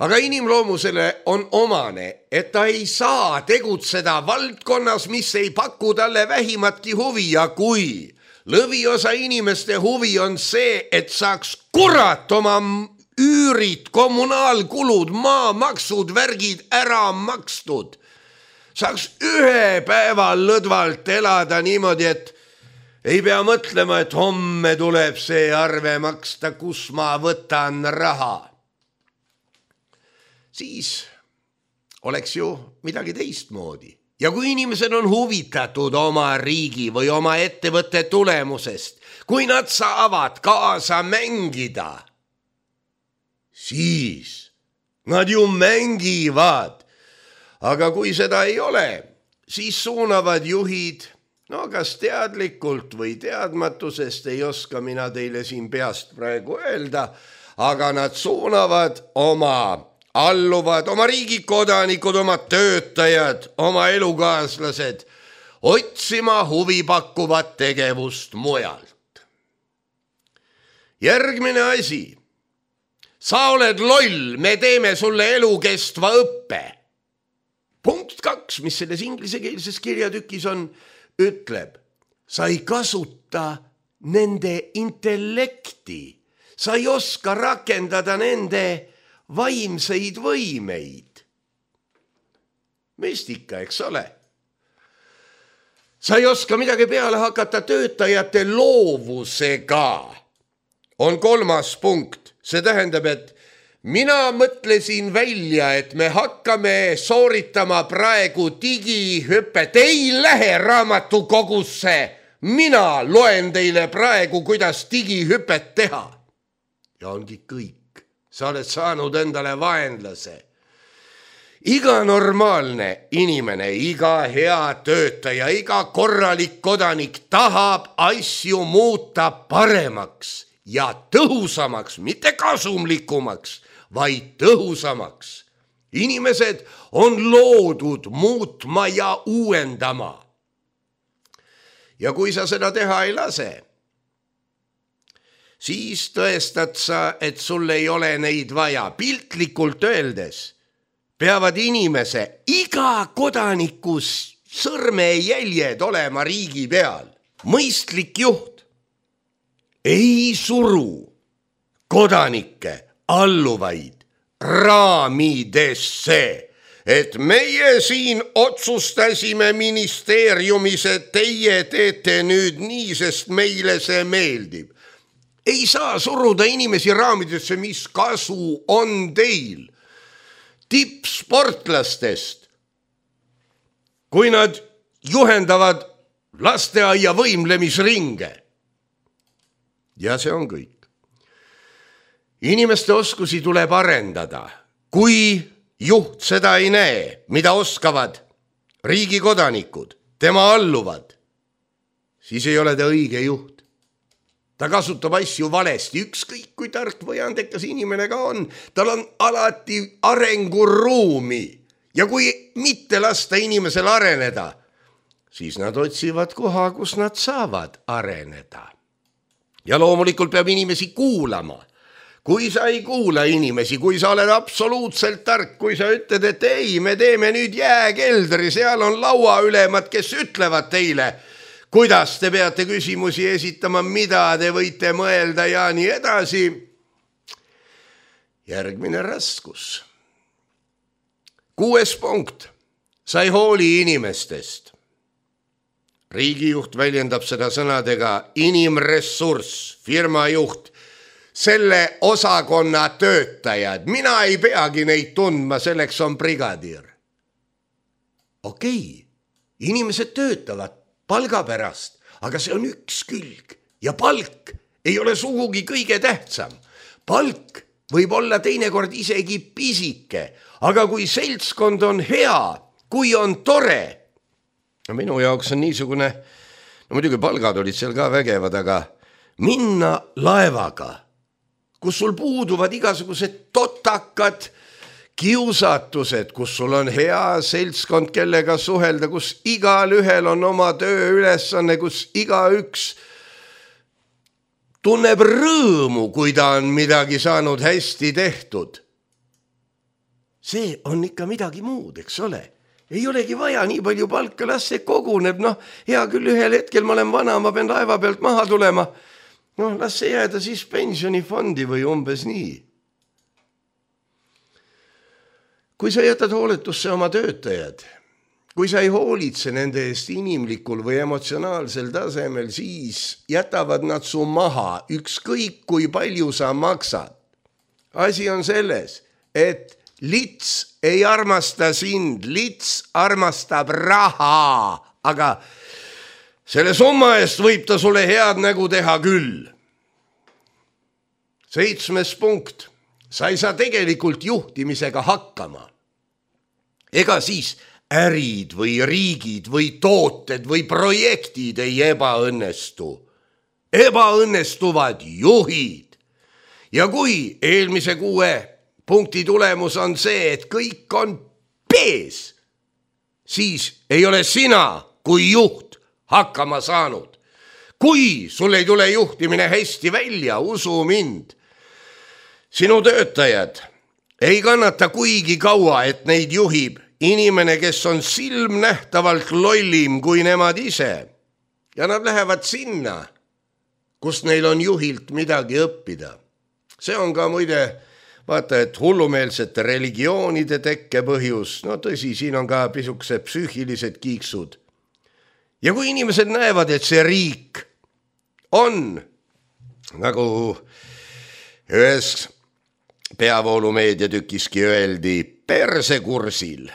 Aga inimloomusele on omane, et ta ei saa tegutseda valdkonnas, mis ei paku talle vähimatki huvi ja kui lõviosa inimeste huvi on see, et saaks kurat oma üürid, kommunaalkulud, maamaksud, värgid ära makstud, saaks ühe päeva lõdvalt elada niimoodi, et ei pea mõtlema, et homme tuleb see arve maksta, kus ma võtan raha. Siis oleks ju midagi teistmoodi. Ja kui inimesed on huvitatud oma riigi või oma ettevõtte tulemusest, kui nad saavad kaasa mängida, siis nad ju mängivad. Aga kui seda ei ole, siis suunavad juhid, no kas teadlikult või teadmatusest ei oska mina teile siin peast praegu öelda, aga nad suunavad oma alluvad, oma riigikodanikud, oma töötajad, oma elukaaslased otsima huvipakkuvat tegevust mujalt. Järgmine asi. Sa oled loll, me teeme sulle elukestva õppe. Punkt kaks, mis selles inglisekeelses kirjatükis on, ütleb, sa ei kasuta nende intellekti, sa ei oska rakendada nende vaimseid võimeid. Mestika, eks ole? Sa ei oska midagi peale hakata töötajate loovusega. On kolmas punkt. See tähendab, et mina mõtlesin välja, et me hakkame sooritama praegu digihüppet. Ei lähe raamatukogusse. Mina loen teile praegu, kuidas digihüppet teha. Ja ongi kõik. Sa oled saanud endale vaenlase. Iga normaalne inimene, iga hea töötaja, iga korralik kodanik tahab asju muuta paremaks ja tõhusamaks, mitte kasumlikumaks, vaid tõhusamaks. Inimesed on loodud muutma ja uuendama. Ja kui sa seda teha ei lase, siis tõestad sa, et sul ei ole neid vaja. Piltlikult öeldes peavad inimese iga kodanikus sõrmejäljed olema riigi peal. Mõistlik juht ei suru kodanikke alluvaid raamidesse, et meie siin otsustasime ministeeriumis, et teie teete nüüd nii, sest meile see meeldib. Ei saa suruda inimesi raamidesse, mis kasu on teil. Tippsportlastest, kui nad juhendavad lasteaia võimlemisringe. Ja see on kõik. Inimeste oskusi tuleb arendada. Kui juht seda ei näe, mida oskavad riigi kodanikud, tema alluvad, siis ei ole ta õige juht. Ta kasutab asju valesti, ükskõik kui tark või andekas inimene ka on. Tal on alati arenguruumi ja kui mitte lasta inimesel areneda, siis nad otsivad koha, kus nad saavad areneda. Ja loomulikult peab inimesi kuulama. Kui sa ei kuula inimesi, kui sa oled absoluutselt tark, kui sa ütled, et ei, me teeme nüüd jääkeldri, seal on lauaülemad, kes ütlevad teile, kuidas te peate küsimusi esitama, mida te võite mõelda ja nii edasi. Järgmine raskus. Kuues punkt. Sa ei hooli inimestest. Riigijuht väljendab seda sõnadega inimressurss, firmajuht, selle osakonna töötajad. Mina ei peagi neid tundma, selleks on brigadiir. Okei, inimesed töötavad palga pärast, aga see on üks külg ja palk ei ole sugugi kõige tähtsam. Palk võib olla teinekord isegi pisike, aga kui seltskond on hea, kui on tore, no minu jaoks on niisugune, no muidugi palgad olid seal ka vägevad, aga minna laevaga, kus sul puuduvad igasugused totakad kiusatused, kus sul on hea seltskond, kellega suhelda, kus igal ühel on oma tööülesanne, kus igaüks tunneb rõõmu, kui ta on midagi saanud hästi tehtud. See on ikka midagi muud, eks ole. Ei olegi vaja nii palju palka, las see koguneb. Noh, hea küll, ühel hetkel ma olen vana, ma pean laeva pealt maha tulema. Noh, las see jääda siis pensionifondi või umbes nii. Kui sa jätad hooletusse oma töötajad, kui sa ei hoolitse nende eest inimlikul või emotsionaalsel tasemel, siis jätavad nad su maha, ükskõik kui palju sa maksad. Asi on selles, et lits ei armasta sind, lits armastab raha, aga selle summa eest võib ta sulle head nägu teha küll. Seitsmes punkt. Sa ei saa tegelikult juhtimisega hakkama. Ega siis ärid või riigid või tooted või projektid ei ebaõnnestu. Ebaõnnestuvad juhid. Ja kui eelmise kuue punkti tulemus on see, et kõik on pees, siis ei ole sina kui juht hakkama saanud. Kui sul ei tule juhtimine hästi välja, usu mind, sinu töötajad ei kannata kuigi kaua, et neid juhib inimene, kes on silmnähtavalt lollim kui nemad ise. Ja nad lähevad sinna, kus neil on juhilt midagi õppida. See on ka muide, vaata, et hullumeelsete religioonide tekke põhjus. No tõsi, siin on ka pisukesed psüühilised kiiksud. Ja kui inimesed näevad, et see riik on, nagu ühes peavoolumeedia tükiski öeldi, persekursil,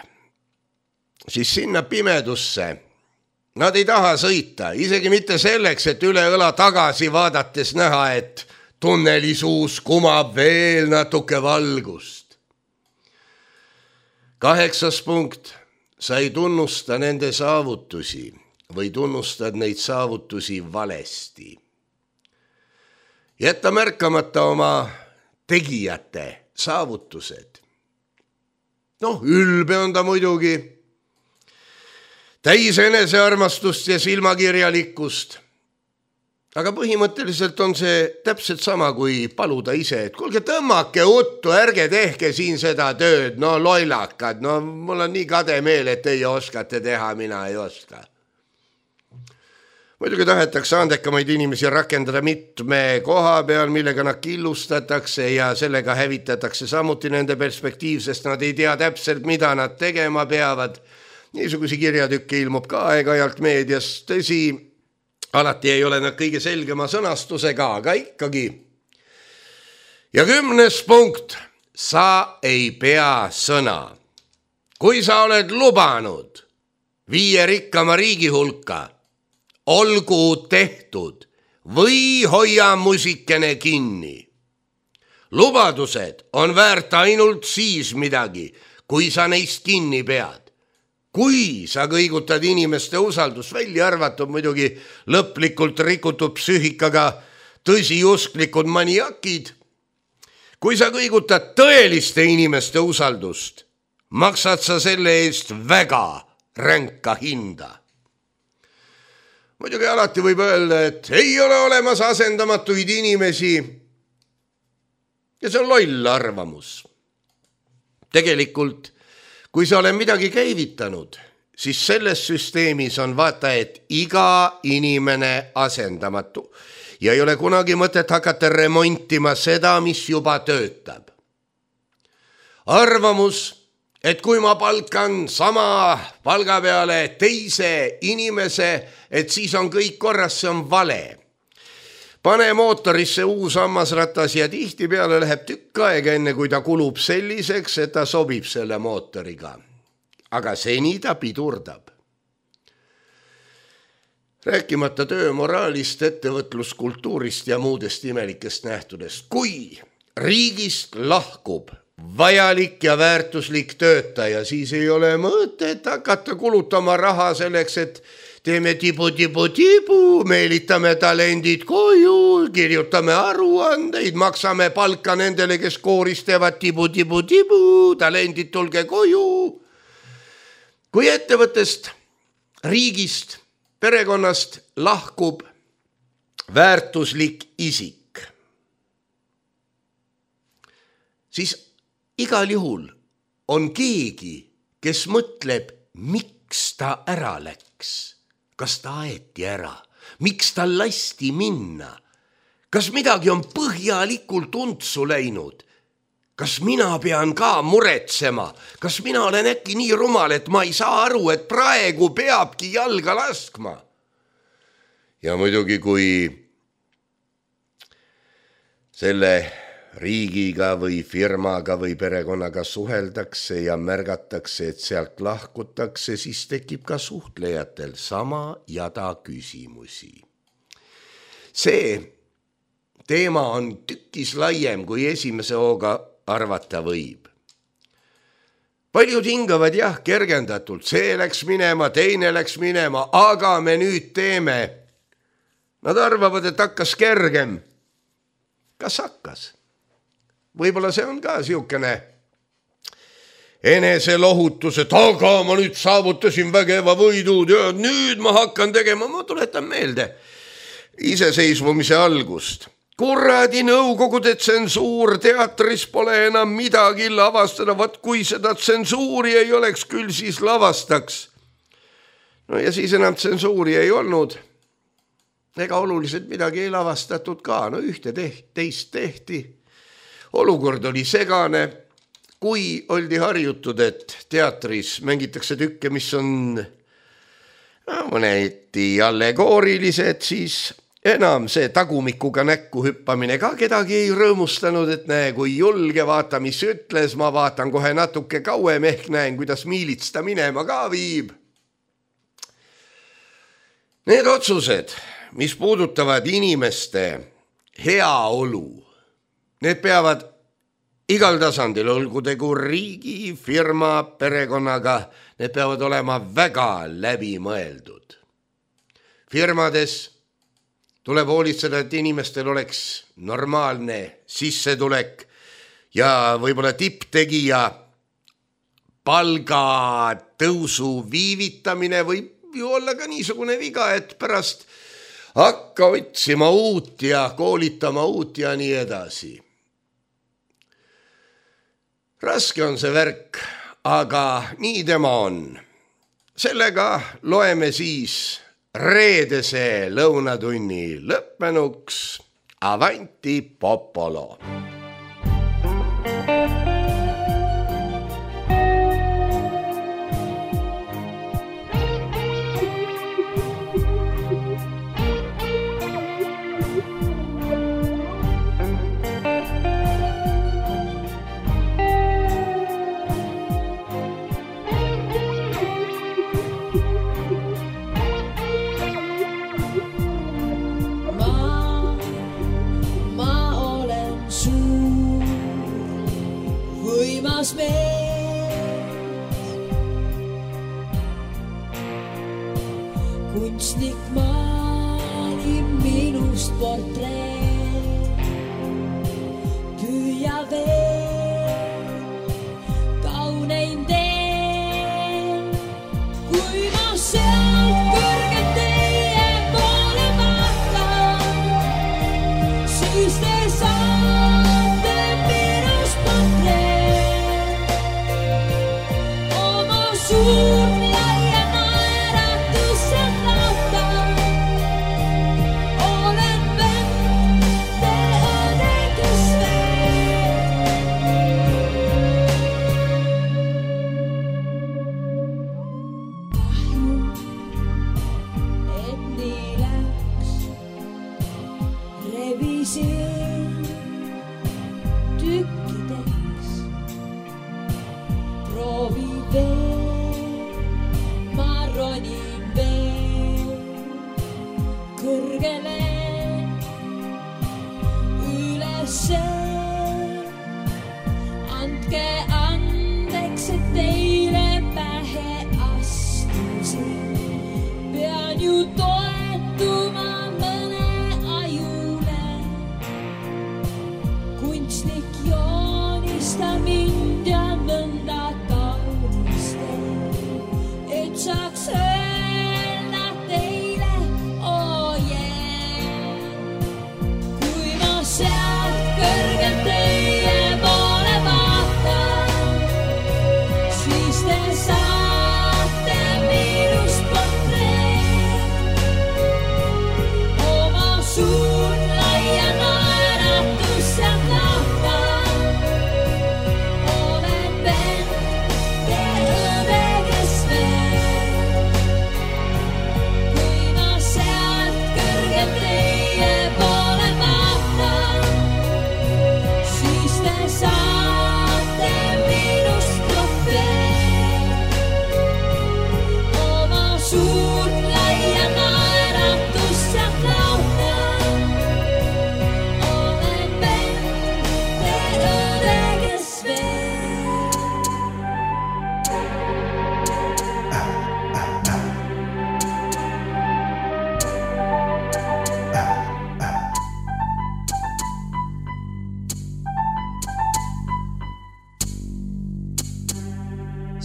siis sinna pimedusse nad ei taha sõita, isegi mitte selleks, et üle õla tagasi vaadates näha, et tunnelisuus kumab veel natuke valgust. Kaheksas punkt, sa ei tunnusta nende saavutusi või tunnustad neid saavutusi valesti. Jätta märkamata oma tegijate saavutused. Noh, ülbe on ta muidugi, täis enesearmastust ja silmakirjalikkust. Aga põhimõtteliselt on see täpselt sama kui paluda ise, et kuulge, tõmmake uttu, ärge tehke siin seda tööd, no lollakad, no mul on nii kade meel, et teie oskate teha, mina ei oska. Muidugi tahetakse andekamaid inimesi rakendada mitme koha peal, millega nad killustatakse ja sellega hävitatakse samuti nende perspektiiv, sest nad ei tea täpselt, mida nad tegema peavad. Niisuguse kirjatükke ilmub ka aeg-ajalt meedias, tõsi, alati ei ole nad kõige selgema sõnastusega, aga ikkagi. Ja kümnes punkt, sa ei pea sõna. Kui sa oled lubanud viie rikkama riigi hulka, olgu tehtud või hoia musikene kinni. Lubadused on väärt ainult siis midagi, kui sa neist kinni pead. Kui sa kõigutad inimeste usaldust, välja arvatud muidugi lõplikult rikutud psüühikaga tõsiusklikud maniakid, kui sa kõigutad tõeliste inimeste usaldust, maksad sa selle eest väga ränka hinda. Muidugi alati võib öelda, et ei ole olemas asendamatuid inimesi ja see on loll arvamus. Tegelikult, kui sa olen midagi käivitanud, siis selles süsteemis on vaata, et iga inimene asendamatu ja ei ole kunagi mõtet hakata remontima seda, mis juba töötab. Arvamus, et kui ma palkan sama palga peale teise inimese, et siis on kõik korras, see on vale. Pane mootorisse uus hammasratas ja tihti peale läheb tükk aega enne, kui ta kulub selliseks, et ta sobib selle mootoriga. Aga seni ta pidurdab. Rääkimata töömoraalist, ettevõtluskultuurist ja muudest imelikest nähtudest. Kui riigist lahkub vajalik ja väärtuslik töötaja, siis ei ole mõtet hakata kulutama raha selleks, et teeme tibu-tibu-tibu, meelitame talendid koju, kirjutame aruandeid, maksame palka nendele, kes kooris teevad tibu-tibu-tibu, talendid tulge koju. Kui ettevõttest, riigist, perekonnast lahkub väärtuslik isik, siis igal juhul on keegi, kes mõtleb, miks ta ära läks. Kas ta aeti ära? Miks ta lasti minna? Kas midagi on põhjalikult untsu läinud? Kas mina pean ka muretsema? Kas mina olen äkki nii rumal, et ma ei saa aru, et praegu peabki jalga laskma? Ja muidugi, kui selle riigiga või firmaga või perekonnaga suheldakse ja märgatakse, et sealt lahkutakse, siis tekib ka suhtlejatel sama jada küsimusi. See teema on tükis laiem, kui esimese hooga arvata võib. paljud hingavad jah, kergendatult, see läks minema, teine läks minema, aga me nüüd teeme. Nad arvavad, et hakkas kergem. Kas hakkas? Võib-olla see on ka siukene enese lohutus, et aga ma nüüd saavutasin vägeva võidud ja nüüd ma hakkan tegema. Ma tuletan meelde iseseisvumise algust. Kuradi nõukogude tsensuur, teatris pole enam midagi lavastada, vaat kui seda tsensuuri ei oleks, küll siis lavastaks. No ja siis enam tsensuuri ei olnud. Ega oluliselt midagi ei lavastatud ka, no ühte tehti, teist tehti. Olukord oli segane, kui oldi harjutud, et teatris mängitakse tükke, mis on no, mõneti allegoorilised, siis enam see tagumikuga näkku hüppamine ka kedagi ei rõõmustanud, et näe, kui julge, vaata, mis ütles, ma vaatan kohe natuke kauem, ehk näen, kuidas miilits ta minema ka viib. Need otsused, mis puudutavad inimeste heaolu, need peavad igal tasandil, olgu tegu riigi, firma, perekonnaga, need peavad olema väga läbimõeldud. Firmades tuleb hoolitseda, et inimestel oleks normaalne sissetulek ja võib-olla tipptegija palgatõusu viivitamine võib ju olla ka niisugune viga, et pärast hakka otsima uut ja koolitama uut ja nii edasi. Raske on see värk, aga nii tema on. Sellega loeme siis reedese lõunatunni lõppenuks. Avanti popolo! Kunstnik maali minust portreet, püüa veel kaunein teen, kui ma sealt kõrgelt teie poole vaatan, siis te saate minust portreet, oma suurt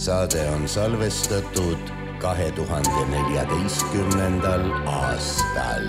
saade on salvestatud kahe tuhande neljateistkümnendal aastal.